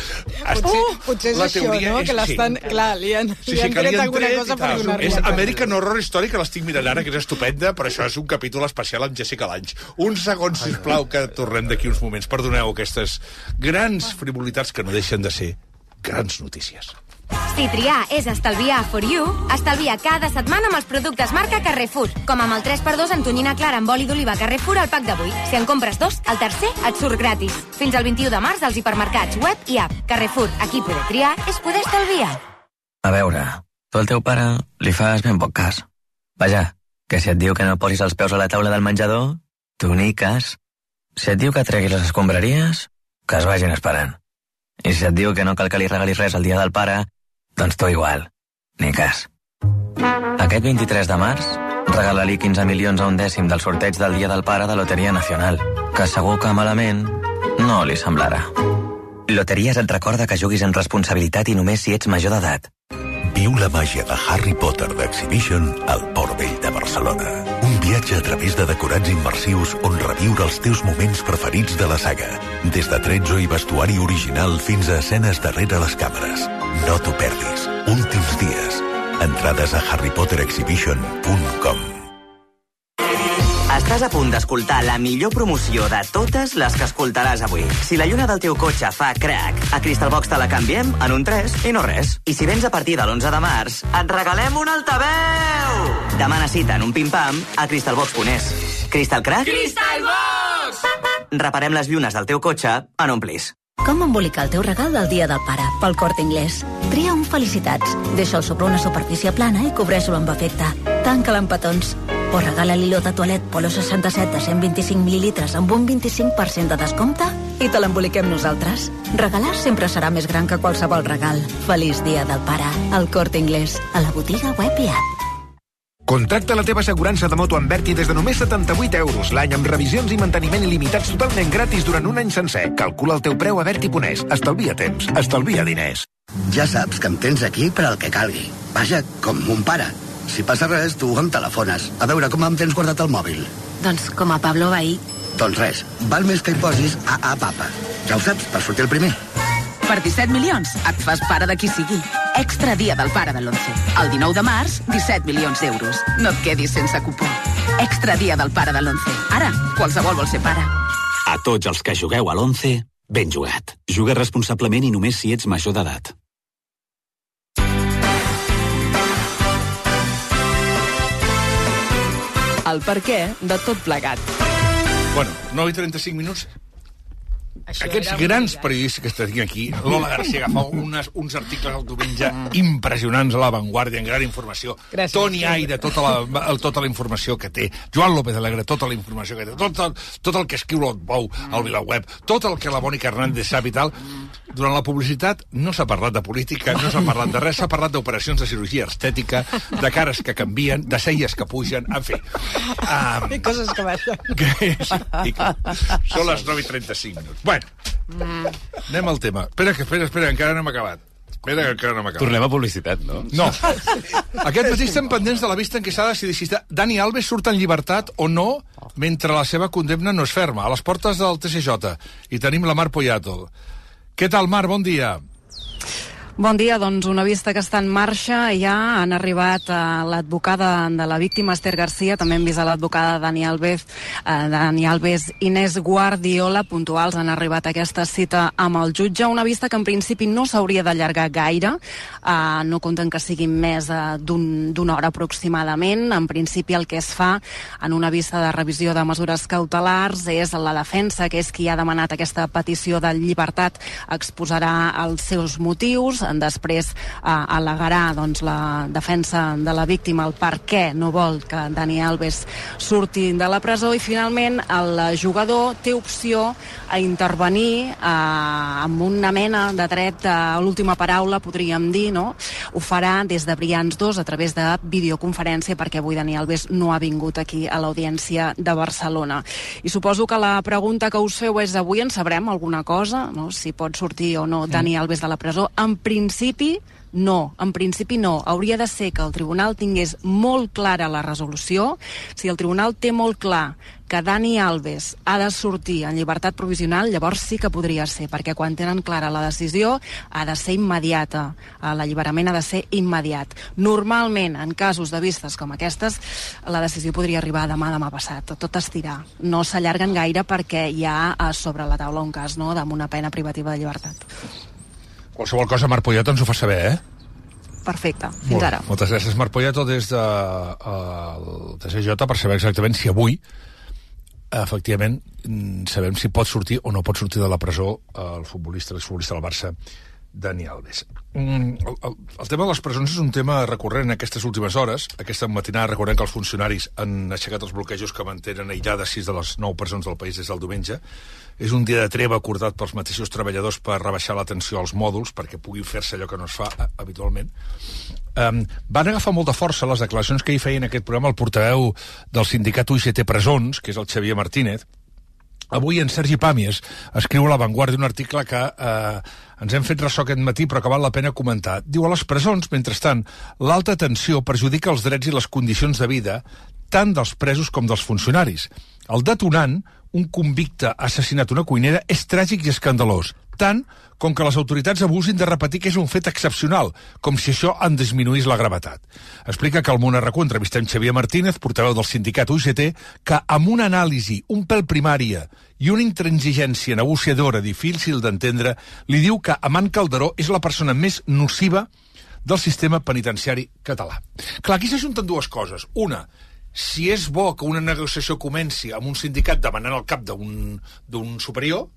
Potser és això, no? Que l'estan... Clar, li han tret alguna cosa per donar-li. És American Horror Story, que l'estic mirant ara, que és estupenda, però això és un capítol especial amb Jessica Lange. Un segon, sisplau, que tornem d'aquí uns moments. Perdoneu aquestes grans frivolitats que no deixen de ser grans notícies. Si triar és estalviar for you, estalvia cada setmana amb els productes marca Carrefour, com amb el 3x2 en tonyina clara amb oli d'oliva Carrefour al pack d'avui. Si en compres 2, el tercer et surt gratis. Fins al 21 de març als hipermercats web i app. Carrefour, aquí poder triar és poder estalviar. A veure, tu al teu pare li fas ben poc cas. Vaja, que si et diu que no posis els peus a la taula del menjador, tu ni cas. Si et diu que treguis les escombraries, que es vagin esperant. I si et diu que no cal que li regalis res el dia del pare, doncs tu igual, ni cas. Aquest 23 de març, regala-li 15 milions a un dècim del sorteig del Dia del Pare de Loteria Nacional, que segur que malament no li semblarà. Loteries et recorda que juguis amb responsabilitat i només si ets major d'edat. Viu la màgia de Harry Potter d'Exhibition al Port Vell de Barcelona. Un viatge a través de decorats immersius on reviure els teus moments preferits de la saga. Des de tretzo i vestuari original fins a escenes darrere les càmeres. No t'ho perdis. Últims dies. Entrades a harrypotterexhibition.com. Estàs a punt d'escoltar la millor promoció de totes les que escoltaràs avui. Si la lluna del teu cotxe fa crac, a Crystalbox te la canviem en un 3 i no res. I si vens a partir de l'11 de març, et regalem un altaveu! Demana cita en un pim-pam a crystalbox.es. Crystal Crack? Crystalbox! Reparem les llunes del teu cotxe en un plis. Com embolicar el teu regal del Dia del Pare? Pel Corte Inglés. Tria un Felicitats. Deixa'l sobre una superfície plana i cobreix-lo amb efecte. Tanca'l amb petons. O regala l'hilo de toalet Polo 67 de 125 mil·lilitres amb un 25% de descompte i te l'emboliquem nosaltres. Regalar sempre serà més gran que qualsevol regal. Feliç dia del pare. El Corte Inglés, a la botiga web i app. Contracta la teva assegurança de moto amb Berti des de només 78 euros l'any, amb revisions i manteniment il·limitats totalment gratis durant un any sencer. Calcula el teu preu a Berti.es. Estalvia temps, estalvia diners. Ja saps que em tens aquí per al que calgui. Vaja, com mon pare. Si passa res, tu em telefones. A veure, com em tens guardat el mòbil? Doncs com a Pablo Bahí. Doncs res, val més que hi posis a papa. Ja ho saps, per sortir el primer. Per 17 milions et fas pare de qui sigui. Extra dia del pare de l'11. El 19 de març, 17 milions d'euros. No et quedis sense cupó. Extra dia del pare de l'11. Ara, qualsevol vol ser pare. A tots els que jugueu a l'11, ben jugat. Juga responsablement i només si ets major d'edat. El perquè de tot plegat. Bueno, 9:35 minuts. Aquests grans periodistes que estan aquí, Lola García agafa uns articles al diumenge impressionants a La Vanguardia, en gran informació. Gràcies. Toni Aire, tota la informació que té. Joan López Alegre, tota la informació que té. Tot el que escriu l'Otbou al VilaWeb, tot el que la Mònica Hernández sap i tal. Durant la publicitat no s'ha parlat de política, no s'ha parlat de res, s'ha parlat d'operacions de cirurgia estètica, de cares que canvien, de celles que pugen, en fi. I coses que baixen. Són les 9:35 minuts. Bueno, anem al tema. Espera, encara no hem acabat. Tornem a publicitat, no? No. Aquest matí estem pendents de la vista en què s'ha de decidir si Dani Alves surt en llibertat o no mentre la seva condemna no és ferma. A les portes del TSJ. I tenim la Mar Poyato. Què tal, Mar? Bon dia. Bon dia, doncs una vista que està en marxa. Ja han arribat l'advocada de la víctima, Esther Garcia, també hem vist a l'advocada Dani Alves, Inés Guardiola, puntuals, han arribat a aquesta cita amb el jutge. Una vista que en principi no s'hauria d'allargar gaire, no compten que sigui més d'una hora aproximadament. En principi el que es fa en una vista de revisió de mesures cautelars és la defensa, que és qui ha demanat aquesta petició de llibertat, exposarà els seus motius. Després al·legarà la defensa de la víctima el per què no vol que Dani Alves surti de la presó, i finalment el jugador té opció a intervenir amb una mena de dret a l'última paraula, podríem dir, no? Ho farà des de Brians 2 a través de videoconferència, perquè avui Dani Alves no ha vingut aquí a l'Audiència de Barcelona. I suposo que la pregunta que us feu és: avui en sabrem alguna cosa, no? Si pot sortir o no Dani Alves de la presó? En principi no. Hauria de ser que el tribunal tingués molt clara la resolució. Si el tribunal té molt clar que Dani Alves ha de sortir en llibertat provisional, llavors sí que podria ser, perquè quan tenen clara la decisió ha de ser immediata. L'alliberament ha de ser immediat. Normalment, en casos de vistes com aquestes, la decisió podria arribar demà passat. Tot estirar. No s'allarguen gaire perquè hi ha sobre la taula un cas, no?, amb una pena privativa de llibertat. Qualsevol cosa, Mar Poyato, ens ho fa saber, Perfecte, fins ara. Moltes gràcies, Mar Poyato, des del TSJ, per saber exactament si avui, efectivament, sabem si pot sortir o no pot sortir de la presó l'exfutbolista del Barça, Dani Alves. El tema de les presons és un tema recurrent en aquestes últimes hores. Aquesta matinada recordem que els funcionaris han aixecat els bloquejos que mantenen aïllades 6 de les 9 presons del país des del diumenge. És un dia de treva acordat pels mateixos treballadors per rebaixar la tensió als mòduls, perquè pugui fer-se allò que no es fa habitualment. Van agafar molta força les declaracions que hi feia en aquest programa el portaveu del sindicat UGT Presons, que és el Xavier Martínez. Avui en Sergi Pàmies escriu a La Vanguardia un article que ens hem fet ressò aquest matí, però que val la pena comentar. Diu: a les presons, mentrestant, l'alta tensió perjudica els drets i les condicions de vida tant dels presos com dels funcionaris. El detonant, un convicte assassinat una cuinera, és tràgic i escandalós, tant com que les autoritats abusin de repetir que és un fet excepcional, com si això en disminuís la gravetat. Explica que al Món RQ entrevistem Xavier Martínez, portaveu del sindicat UGT, que amb una anàlisi un pèl primària i una intransigència negociadora difícil d'entendre, li diu que Amant Calderó és la persona més nociva del sistema penitenciari català. Clar, aquí s'ajunten dues coses. Una, si és bo que una negociació comenci amb un sindicat demanant el cap d'un superior,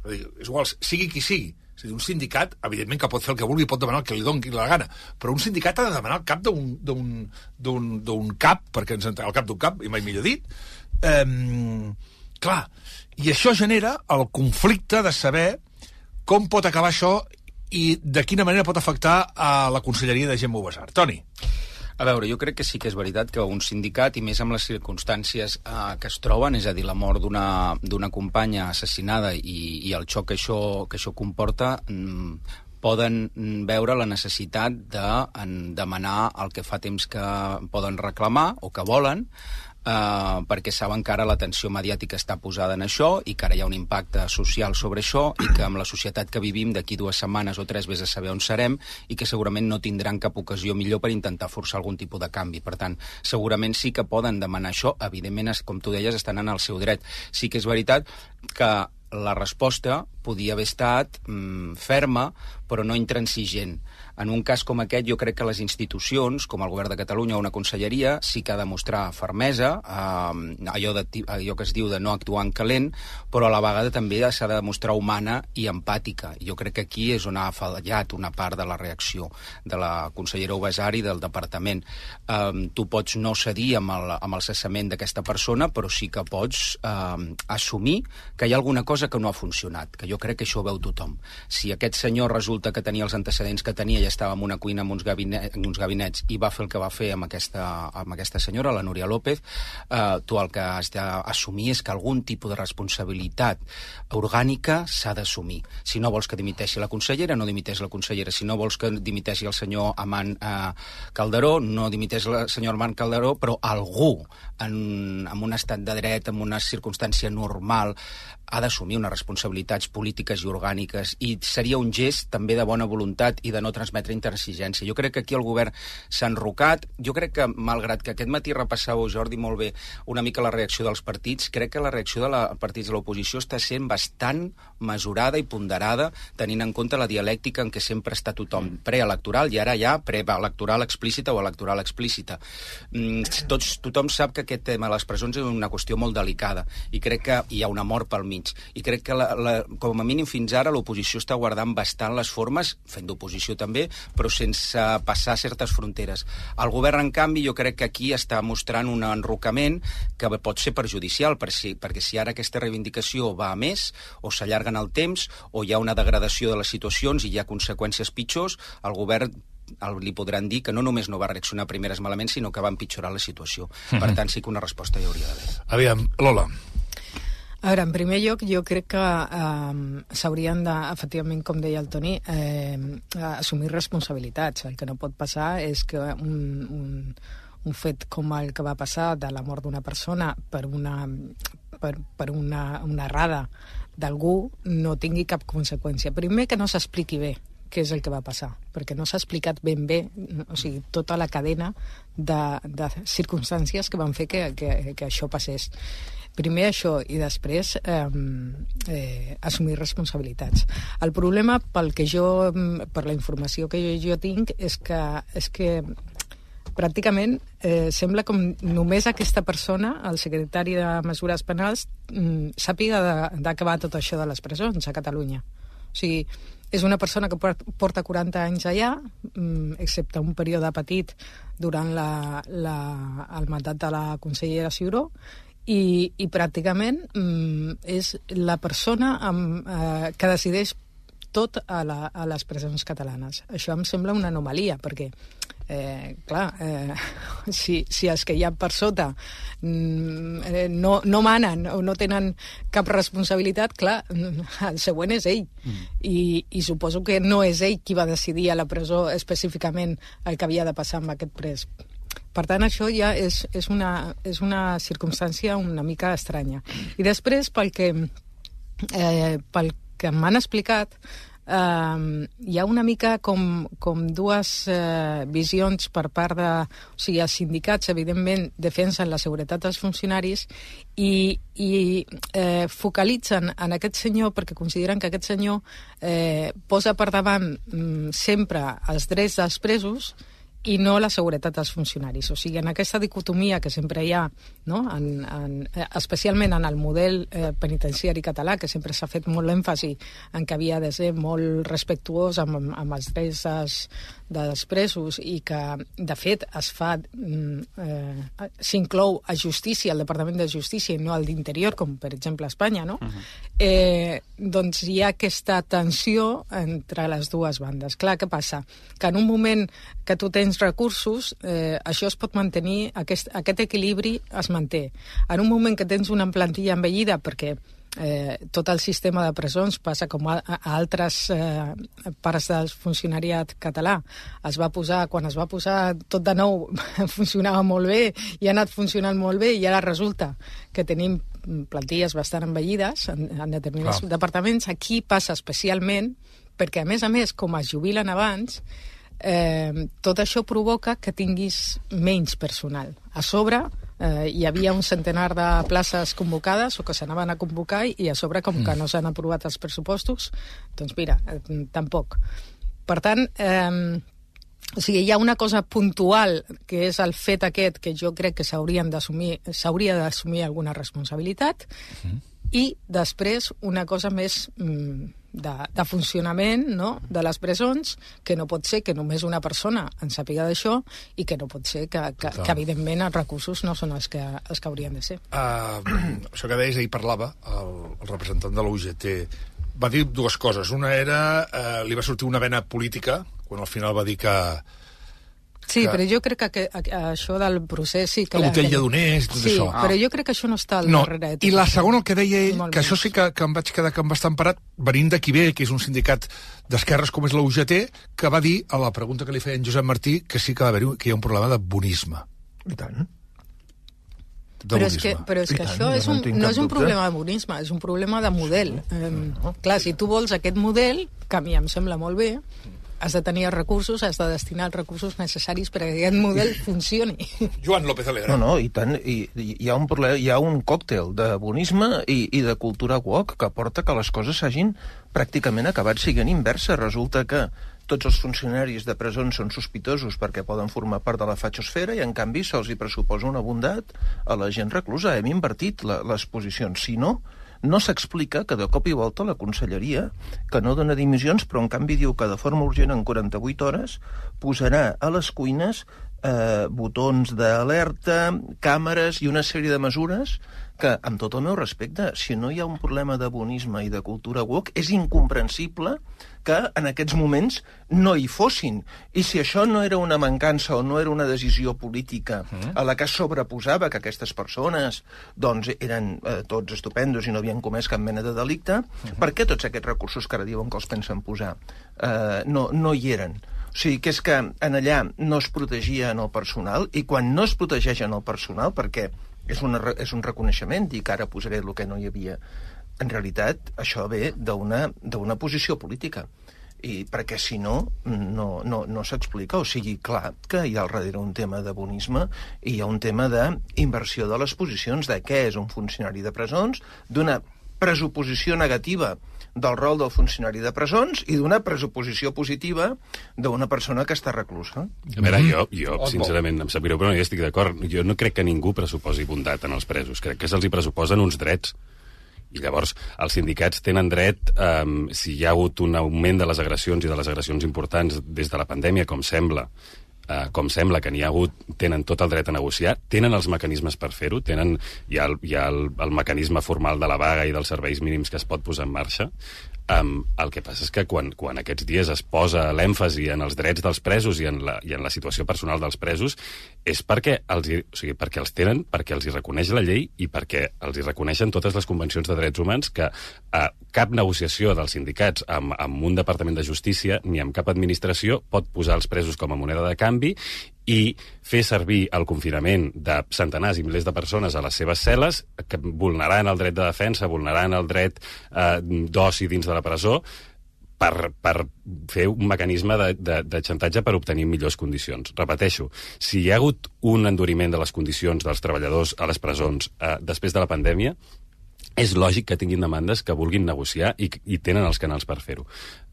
és igual, sigui qui sigui, És a dir, un sindicat, evidentment que pot fer el que vulgui, pot demanar el que li doni la gana, però un sindicat ha de demanar el cap d'un cap, perquè el cap d'un cap, i mai millor dit. Clar, i això genera el conflicte de saber com pot acabar això i de quina manera pot afectar a la conselleria de Gemma Ubasart. Toni. A veure, jo crec que sí que és veritat que un sindicat, i més amb les circumstàncies que es troben, és a dir, la mort d'una companya assassinada i el xoc que això comporta, poden veure la necessitat de demanar el que fa temps que poden reclamar o que volen, perquè saben que ara l'atenció mediàtica està posada en això i que ara hi ha un impacte social sobre això i que amb la societat que vivim d'aquí 2 setmanes o 3 vés a saber on serem i que segurament no tindran cap ocasió millor per intentar forçar algun tipus de canvi. Per tant, segurament sí que poden demanar això. Evidentment, com tu deies, estan en el seu dret. Sí que és veritat que la resposta podia haver estat ferma, però no intransigent. En un cas com aquest, jo crec que les institucions, com el Govern de Catalunya o una conselleria, sí que ha de mostrar fermesa, allò que es diu de no actuar en calent, però a la vegada també s'ha de demostrar humana i empàtica. Jo crec que aquí és on ha fallat una part de la reacció de la consellera Ubasart i del departament. Tu pots no cedir amb el cessament d'aquesta persona, però sí que pots assumir que hi ha alguna cosa que no ha funcionat, que jo crec que això ho veu tothom. Si aquest senyor resulta que tenia els antecedents que tenia i estava en una cuina amb uns gabinets i va fer el que va fer amb aquesta senyora, la Núria López, tu el que has d'assumir és que algun tipus de responsabilitat orgànica s'ha d'assumir. Si no vols que dimiteixi la consellera, no dimiteix la consellera. Si no vols que dimiteixi el senyor Amant Calderó, no dimiteix el senyor Amant Calderó, però algú en un estat de dret, en una circumstància normal, ha d'assumir unes responsabilitats polítiques i orgàniques, i seria un gest també de bona voluntat i de no transmetre intransigència. Jo crec que aquí el govern s'ha enrocat. Jo crec que, malgrat que aquest matí repassàveu, Jordi, molt bé, una mica la reacció dels partits, crec que la reacció dels partits de l'oposició està sent bastant mesurada i ponderada, tenint en compte la dialèctica en què sempre està tothom preelectoral i ara ja preelectoral explícita o electoral explícita. Tothom sap que aquest tema de les presons és una qüestió molt delicada i crec que hi ha una mort pel mig. I crec que, com a mínim fins ara, l'oposició està guardant bastant les formes, fent d'oposició també, però sense passar certes fronteres. El govern, en canvi, jo crec que aquí està mostrant un enrocament que pot ser perjudicial, perquè si ara aquesta reivindicació va a més, o s'allarga en el temps, o hi ha una degradació de les situacions i hi ha conseqüències pitjors, el govern li podran dir que no només no va reaccionar primeres malament, sinó que va empitjorar la situació. Per tant, sí que una resposta hi hauria d'haver. Aviam, Lola. A veure, en primer lloc, jo crec que s'haurien de, efectivament, com deia el Toni, assumir responsabilitats. El que no pot passar és que un fet com el que va passar de la mort d'una persona per una errada d'algú no tingui cap conseqüència. Primer, que no s'expliqui bé què és el que va passar, perquè no s'ha explicat ben bé, o sigui, tota la cadena de circumstàncies que van fer que això passés. Primer això, i després assumir responsabilitats. El problema, per la informació que jo tinc, és que pràcticament sembla com només aquesta persona, el secretari de Mesures Penals, sàpiga d'acabar tot això de les presons a Catalunya. O sigui, és una persona que porta 40 anys allà, excepte un període petit durant el mandat de la consellera Ciuró, i pràcticament és la persona que decideix tot a les presons catalanes. Això em sembla una anomalia, perquè si els que hi ha per sota no manen o no tenen cap responsabilitat, clar, el següent és ell. I suposo que no és ell qui va decidir a la presó específicament el que havia de passar amb aquest pres. Per tant, això ja és una circumstància una mica estranya. I després, pel que m'han explicat, hi ha una mica com dues visions per part de... O sigui, els sindicats, evidentment, defensen la seguretat dels funcionaris i focalitzen en aquest senyor perquè consideren que aquest senyor posa per davant sempre els drets dels presos i no la seguretat dels funcionaris. O sigui, en aquesta dicotomia que sempre hi ha, no? Especialment en el model penitenciari català, que sempre s'ha fet molt èmfasi en que havia de ser molt respectuós amb els drets dels presos i que, de fet, s'inclou a Justícia, al Departament de Justícia, i no al d'Interior, com per exemple a Espanya, no? Doncs hi ha aquesta tensió entre les dues bandes. Clar, què passa? Que en un moment que tu tens recursos, això es pot mantenir, aquest equilibri es manté. En un moment que tens una plantilla envellida, perquè tot el sistema de presons passa com a altres parts del funcionariat català. Quan es va posar tot de nou, funcionava molt bé i ha anat funcionant molt bé, i ara resulta que tenim plantilles bastant envellides en determinats departaments. Aquí passa especialment perquè, a més, com es jubilen abans, tot això provoca que tinguis menys personal. A sobre hi havia un centenar de places convocades o que s'anaven a convocar, i a sobre, com que no s'han aprovat els pressupostos, doncs mira, tampoc. Per tant, o sigui, hi ha una cosa puntual, que és el fet aquest, que jo crec que s'hauria d'assumir alguna responsabilitat, i després una cosa més de funcionament, no?, de les presons, que no pot ser que només una persona en sàpiga d'això, i que no pot ser que evidentment, els recursos no són els que haurien de ser. Això que deies, ahir parlava el representant de la UGT, va dir dues coses. Una era, li va sortir una vena política, quan al final va dir que... Sí, però jo crec que això del procés... Sí, que la botella d'oners, tot això. Sí, però jo crec que això no està al darrere. I la segona, el que deia ell, que això sí que em vaig quedar bastant parat, venint d'aquí ve, que és un sindicat d'esquerres com és la UGT, que va dir, a la pregunta que li feia en Josep Martí, que sí que hi ha un problema de bonisme. I tant. Però és que això no és un problema de bonisme, és un problema de model. Clar, si tu vols aquest model, que a mi em sembla molt bé, has de tenir els recursos, has de destinar els recursos necessaris perquè aquest model funcioni. Joan López Alegre. No, i tant, hi ha un problema, hi ha un còctel de bonisme i de cultura woke que porta que les coses s'hagin pràcticament acabat siguent inversa. Resulta que tots els funcionaris de presons són sospitosos perquè poden formar part de la fatxosfera, i en canvi se'ls hi pressuposa una bondat a la gent reclusa. Hem invertit les posicions. Si no, no s'explica que de cop i volta la conselleria, que no dona dimissions, però en canvi diu que de forma urgent en 48 hores posarà a les cuines botons d'alerta, càmeres i una sèrie de mesures que, amb tot el meu respecte, si no hi ha un problema de bonisme i de cultura woke, és incomprensible que en aquests moments no hi fossin. I si això no era una mancança o no era una decisió política a la que es sobreposava que aquestes persones doncs eren tots estupendos i no havien comès cap mena de delicte, per què tots aquests recursos que ara diuen que els pensen posar no hi eren? O sigui, que és que en allà no es protegia en el personal, i quan no es protegeix en el personal, perquè és un reconeixement, i que ara posaré el que no hi havia, en realitat això ve d'una posició política. I perquè si no s'explica. O sigui, clar que hi ha al darrere un tema de bonisme i hi ha un tema d'inversió de les posicions, de què és un funcionari de presons, d'una pressuposició negativa del rol del funcionari de presons i d'una pressuposició positiva d'una persona que està reclusa. A veure, jo sincerament, em sap greu, però no hi estic d'acord. Jo no crec que ningú pressuposi bondat en els presos. Crec que se'ls hi pressuposen uns drets. I llavors els sindicats tenen dret, si hi ha hagut un augment de les agressions i de les agressions importants des de la pandèmia, com sembla que n'hi ha hagut, tenen tot el dret a negociar, tenen els mecanismes per fer-ho, hi ha el mecanisme formal de la vaga i dels serveis mínims que es pot posar en marxa. El que passa és que quan aquests dies es posa l'èmfasi en els drets dels presos i en la situació personal dels presos, és perquè els tenen, perquè els hi reconeix la llei i perquè els hi reconeixen totes les convencions de drets humans, que cap negociació dels sindicats amb un departament de justícia ni amb cap administració pot posar els presos com a moneda de canvi i fer servir el confinament de centenars i milers de persones a les seves cel·les, que vulnerant el dret de defensa, vulnerant el dret d'oci dins de la presó, per fer un mecanisme de xantatge per obtenir millors condicions. Repeteixo, si hi ha hagut un enduriment de les condicions dels treballadors a les presons després de la pandèmia, és lògic que tinguin demandes que vulguin negociar i tenen els canals per fer-ho.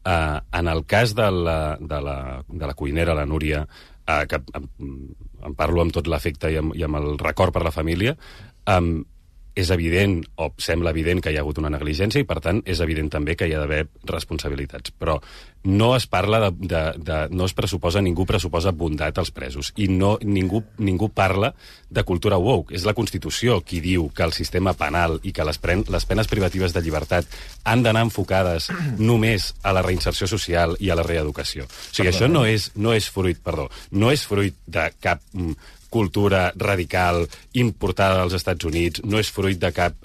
En el cas de la cuinera, la Núria, que em parlo amb tot l'afecte i amb el record per la família, és evident, o sembla evident, que hi ha hagut una negligència i, per tant, és evident també que hi ha d'haver responsabilitats. Però no es parla no es pressuposa, ningú pressuposa bondat als presos. I ningú parla de cultura woke. És la Constitució qui diu que el sistema penal i que les penes privatives de llibertat han d'anar enfocades només a la reinserció social i a la reeducació. O sigui, això no és fruit de cap cultura radical importada dels Estats Units, no és fruit de cap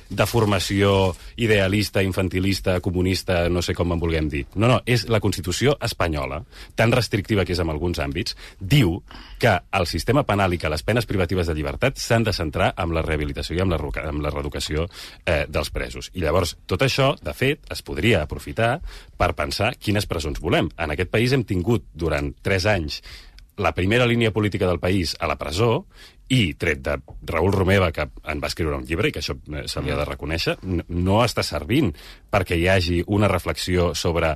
deformació idealista, infantilista, comunista, no sé com en vulguem dir. No, és la Constitució espanyola, tan restrictiva que és en alguns àmbits, diu que el sistema penal i que les penes privatives de llibertat s'han de centrar en la rehabilitació i en la reeducació dels presos. I llavors, tot això, de fet, es podria aprofitar per pensar quines presons volem. En aquest país hem tingut durant 3 anys la primera línia política del país a la presó i, tret de Raül Romeva, que en va escriure un llibre i que això se li ha de reconèixer, no està servint perquè hi hagi una reflexió sobre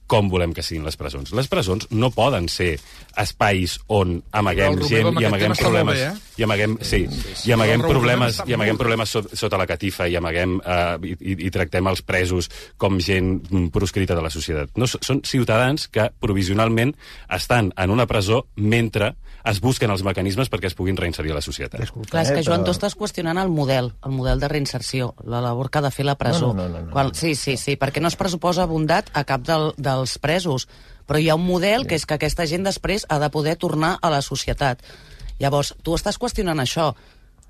com volem que siguin les presons. Les presons no poden ser espais on amaguem gent i amaguem problemes... I amaguem problemes sota la catifa i tractem els presos com gent proscrita de la societat. No, són ciutadans que provisionalment estan en una presó mentre es busquen els mecanismes perquè es puguin reinserir a la societat. Clar, és que, Joan, tu estàs qüestionant el model de reinserció, la labor que ha de fer la presó. No. Sí, perquè no es pressuposa bondat a cap dels presos, però hi ha un model que és que aquesta gent després ha de poder tornar a la societat. Llavors, tu estàs qüestionant això.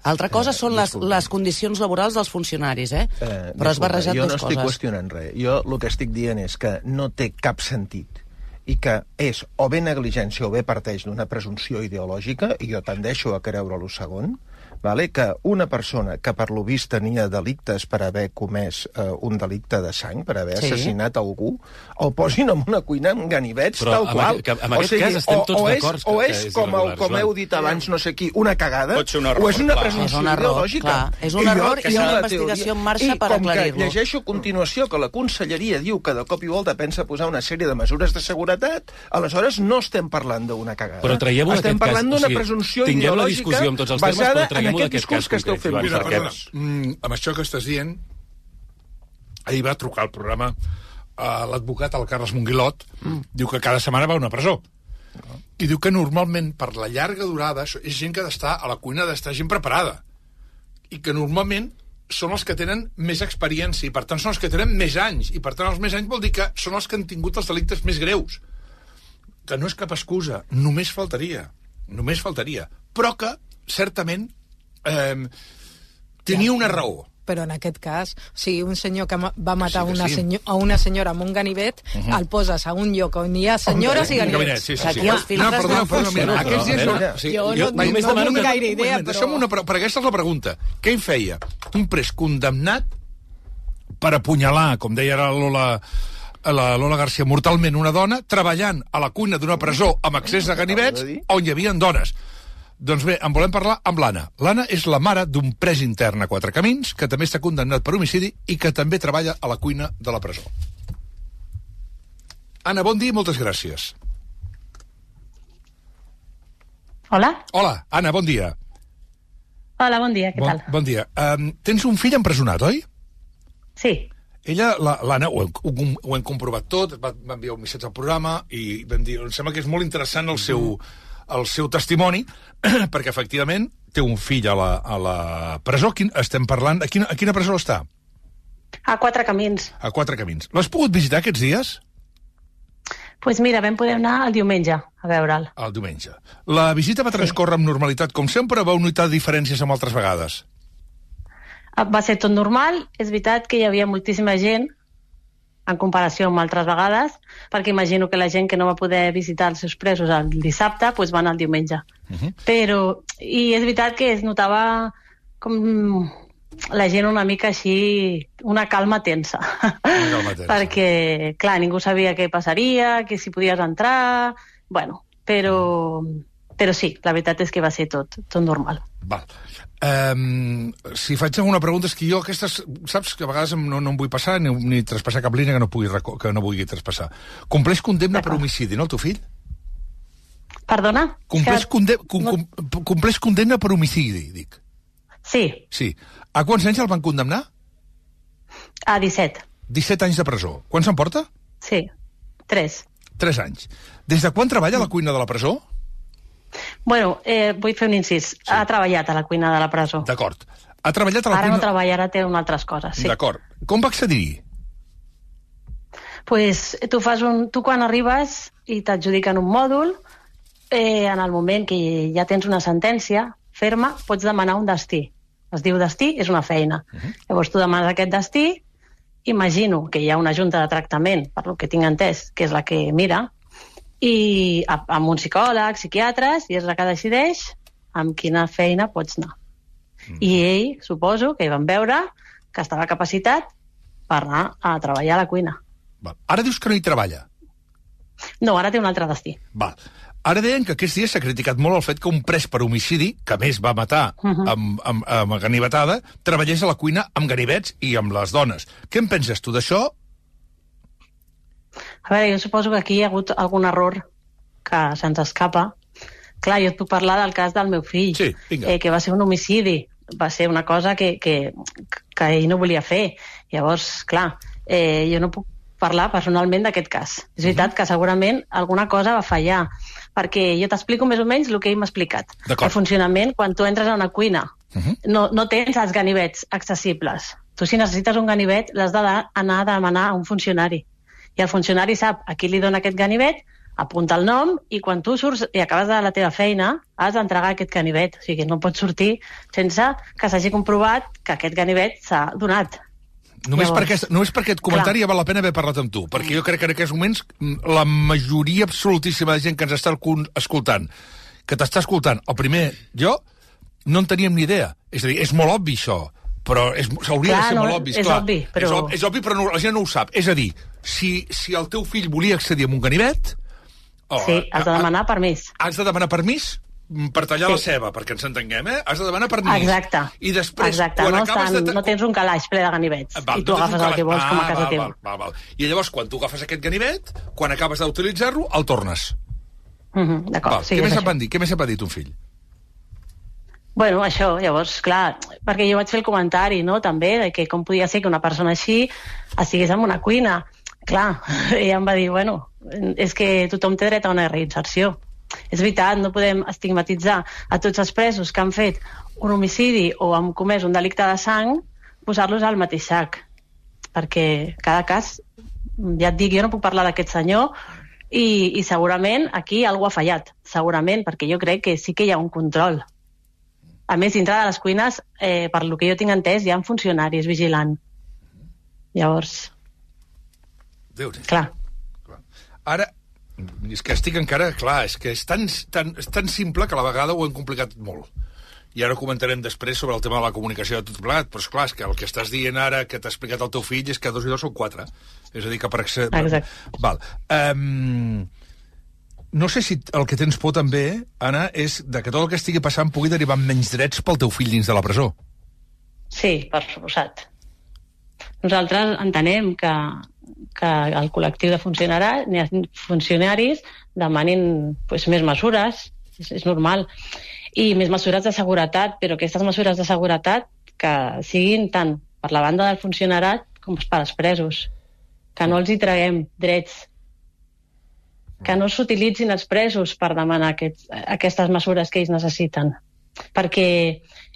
Altra cosa són les condicions laborals dels funcionaris, però has barrejat dues coses. Jo no estic qüestionant res. Jo el que estic dient és que no té cap sentit i que és o bé negligència o bé parteix d'una presumpció ideològica, i jo tendeixo a creure-lo segon, que una persona que per lo vist tenia delictes per haver comès un delicte de sang, per haver assassinat algú, el posin en una cuina amb ganivets, tal qual. En aquest cas estem tots d'acord. O és, com heu dit abans, no sé qui, una cagada, o és una presumpció ideològica. És un error i una investigació en marxa per aclarir-lo. I com que llegeixo a continuació que la Conselleria diu que de cop i volta pensa posar una sèrie de mesures de seguretat, aleshores no estem parlant d'una cagada. Però traiem-ho d'aquest cas. Estem parlant d'una presumpció ideològica basada en aquest discurs que esteu fent. Amb això que estàs dient, ahir va trucar al programa l'advocat, el Carles Monguilot, diu que cada setmana va a una presó. I diu que normalment, per la llarga durada, és gent que ha d'estar a la cuina, d'estar gent preparada. I que normalment són els que tenen més experiència, i per tant són els que tenen més anys. I per tant els més anys vol dir que són els que han tingut els delictes més greus. Que no és cap excusa, només faltaria. Però que, certament, tenia una raó. Però en aquest cas, un senyor que va matar a una senyora amb un ganivet, el poses a un lloc on hi ha senyores i ganivets. Aquí els filtres no funcionen. Aquests dies jo no tinc gaire idea, però... Per aquesta és la pregunta. Què hi feia? Un pres condemnat per apunyalar, com deia la Lola García, mortalment una dona, treballant a la cuina d'una presó amb accés a ganivets on hi havia dones. Doncs bé, en volem parlar amb l'Anna. L'Anna és la mare d'un pres intern a Quatre Camins, que també està condemnat per homicidi i que també treballa a la cuina de la presó. Anna, bon dia i moltes gràcies. Hola. Hola, Anna, bon dia. Hola, bon dia, què tal? Bon dia. Tens un fill empresonat, oi? Sí. Ella, l'Anna, ho hem comprovat tot, va enviar un missatge al programa i vam dir, em sembla que és molt interessant el seu testimoni, perquè efectivament té un fill a la presó. Estem parlant... A quina presó està? A Quatre Camins. A Quatre Camins. L'has pogut visitar aquests dies? Doncs mira, vam poder anar el diumenge a veure'l. El diumenge. La visita va transcórrer amb normalitat, com sempre, o vau notar diferències amb altres vegades? Va ser tot normal. És veritat que hi havia moltíssima gent en comparació amb altres vegades, perquè imagino que la gent que no va poder visitar els seus presos el dissabte, doncs va anar el diumenge. I és veritat que es notava com la gent una mica així, una calma tensa. Perquè, clar, ningú sabia què passaria, que si podies entrar... Bueno, però sí, la veritat és que va ser tot normal. Val. Si faig alguna pregunta, és que jo aquestes, saps que a vegades no em vull passar ni traspassar cap línia que no vulgui traspassar. Compleix condemna per homicidi, no, el teu fill? Perdona? Compleix condemna per homicidi, dic. Sí. Sí. A quants anys el van condemnar? A 17. 17 anys de presó. Quan se'n porta? Sí, 3. 3 anys. Des de quan treballa a la cuina de la presó? Bueno, vull fer un incís. Sí. Ha treballat a la cuina de la presó. D'acord. Ha treballat a la cuina... Ara no treballa, ara té unes altres coses, sí. D'acord. Com va accedir-hi? Pues tu quan arribes i t'adjudiquen un mòdul, en el moment que ja tens una sentència ferma, pots demanar un destí. Es diu destí, és una feina. Llavors tu demanes aquest destí, imagino que hi ha una junta de tractament, per lo que tinc entès, que és la que mira, i amb un psicòleg, psiquiatres, i és la que decideix amb quina feina pots anar. I ell, suposo, que hi van veure que estava capacitat per anar a treballar a la cuina. Val. Ara dius que no hi treballa? No, ara té un altre destí. Val. Ara deien que aquests dies s'ha criticat molt el fet que un pres per homicidi, que més va matar amb ganivetada, treballés a la cuina amb ganivets i amb les dones. Què en penses tu d'això? A veure, jo suposo que aquí hi ha hagut algun error que se'ns escapa. Clar, jo et puc parlar del cas del meu fill, que va ser un homicidi. Va ser una cosa que ell no volia fer. Llavors, clar, jo no puc parlar personalment d'aquest cas. És veritat que segurament alguna cosa va fallar, perquè jo t'explico més o menys el que ell m'ha explicat. El funcionament, quan tu entres a una cuina, no tens els ganivets accessibles. Tu, si necessites un ganivet, l'has d'anar a demanar a un funcionari. I el funcionari sap a qui li dona aquest ganivet, apunta el nom, i quan tu surts i acabes de la teva feina, has d'entregar aquest ganivet. O sigui, no pots sortir sense que s'hagi comprovat que aquest ganivet s'ha donat. Només per aquest comentari ja val la pena haver parlat amb tu, perquè jo crec que en aquests moments la majoria absolutíssima de gent que ens està escoltant, que t'està escoltant, el primer, jo, no en teníem ni idea. És a dir, és molt obvi això, però s'hauria de ser molt obvi. És obvi, però... És obvi, però la gent no ho sap. És a dir, si el teu fill volia accedir a un ganivet... Sí, has de demanar permís. Has de demanar permís? Per tallar la ceba, perquè ens entenguem, Has de demanar permís. Exacte. I després, no tens un calaix ple de ganivets i tu agafes el que vols com a casa teva. I llavors, quan tu agafes aquest ganivet, quan acabes d'utilitzar-lo, el tornes. D'acord, sí, Què més et va dir ton fill? Bueno, això, llavors, clar, perquè jo vaig fer el comentari, no?, també, de que com podia ser que una persona així estigués en una cuina. Clar, ella em va dir, bueno, és que tothom té dret a una reinserció. És veritat, no podem estigmatitzar a tots els presos que han fet un homicidi o han comès un delicte de sang, posar-los al mateix sac. Perquè cada cas, ja et dic, jo no puc parlar d'aquest senyor i segurament aquí algú ha fallat, segurament, perquè jo crec que sí que hi ha un control. A més, dintre de les cuines, per lo que jo tinc entès, hi ha funcionaris vigilant. Llavors... Clar. Ara, és que estic encara... Clar, és que és tan simple que a la vegada ho hem complicat molt. I ara comentarem després sobre el tema de la comunicació de tot plegat, però esclar, és que el que estàs dient ara, que t'ha explicat el teu fill, és que 2 i 2 són 4. És a dir, que per accedir... Exacte. Val. No sé si el que tens por també, Anna, és de que tot el que estigui passant pugui derivar amb menys drets pel teu fill dins de la presó. Sí, per suposat. Nosaltres entenem que el col·lectiu de funcionaris demanin més mesures, és normal, i més mesures de seguretat, però aquestes mesures de seguretat que siguin tant per la banda del funcionarat com per als presos, que no els hi traguem drets, que no s'utilitzin els presos per demanar aquestes mesures que ells necessiten, perquè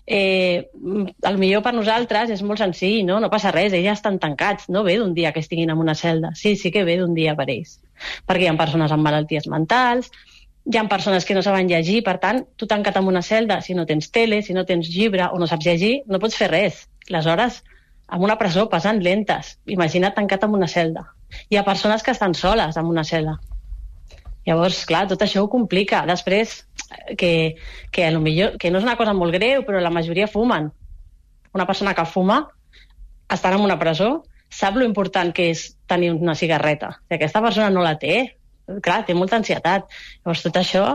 el millor per nosaltres és molt senzill, no passa res, ells ja estan tancats, no ve d'un dia que estiguin en una celda, sí que ve d'un dia per ells, perquè hi ha persones amb malalties mentals, hi ha persones que no saben llegir, per tant, tu tancat en una celda, si no tens tele, si no tens llibre o no saps llegir, no pots fer res. Les hores en una presó passen lentes, imagina't tancat en una celda. Hi ha persones que estan soles en una celda. Llavors, clar, tot això ho complica. Després, que no és una cosa molt greu, però la majoria fumen. Una persona que fuma, estant en una presó, sap lo important que és tenir una cigarreta. Si aquesta persona no la té, clar, té molta ansietat. Llavors, tot això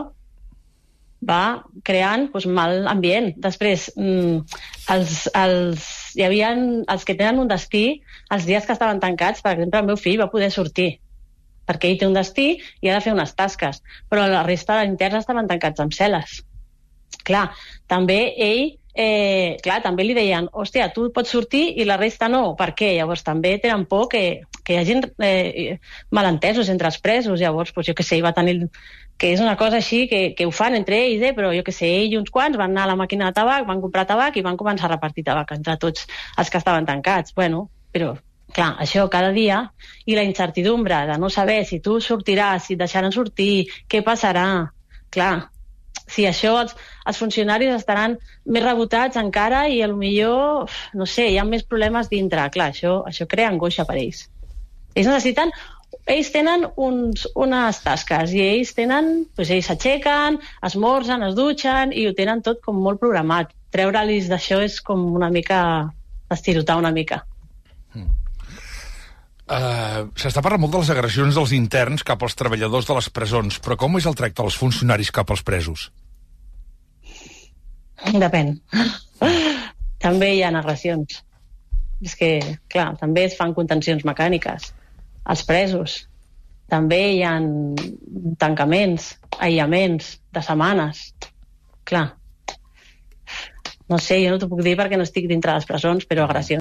va creant mal ambient. Després, hi havia els que tenen un destí, els dies que estaven tancats, per exemple, el meu fill va poder sortir. perquè ell té un destí i ha de fer unes tasques, però la resta d'interns estaven tancats amb cel·les. Clar, també ell també li deien, hòstia, tu pots sortir i la resta no, per què? Llavors també tenen por que hi hagi malentesos entre els presos, llavors, jo què sé, va tenir... que és una cosa així que ho fan entre ells, però jo què sé, ell i uns quants van anar a la màquina de tabac, van comprar tabac i van començar a repartir tabac entre tots els que estaven tancats. Bueno, però, clar, això cada dia, i la incertidumbre de no saber si tu sortiràs, si et deixaran sortir, què passarà, clar, si això els funcionaris estaran més rebotats encara i potser, no sé, hi ha més problemes dintre. Clar, això crea angoixa per ells. Ells tenen unes tasques i ells s'aixequen, esmorzen, es dutxen i ho tenen tot com molt programat. Treure-los d'això és com una mica estirotar una mica. S'està parlant molt de les agressions dels interns cap als treballadors de les presons, però com és el tracte dels funcionaris cap als presos? Depèn. També hi ha agressions. És que, clar, també es fan contencions mecàniques als presos. També hi ha tancaments, aïllaments de setmanes. Clar. No sé, jo no t'ho puc dir perquè no estic dintre de les presons, però agressions.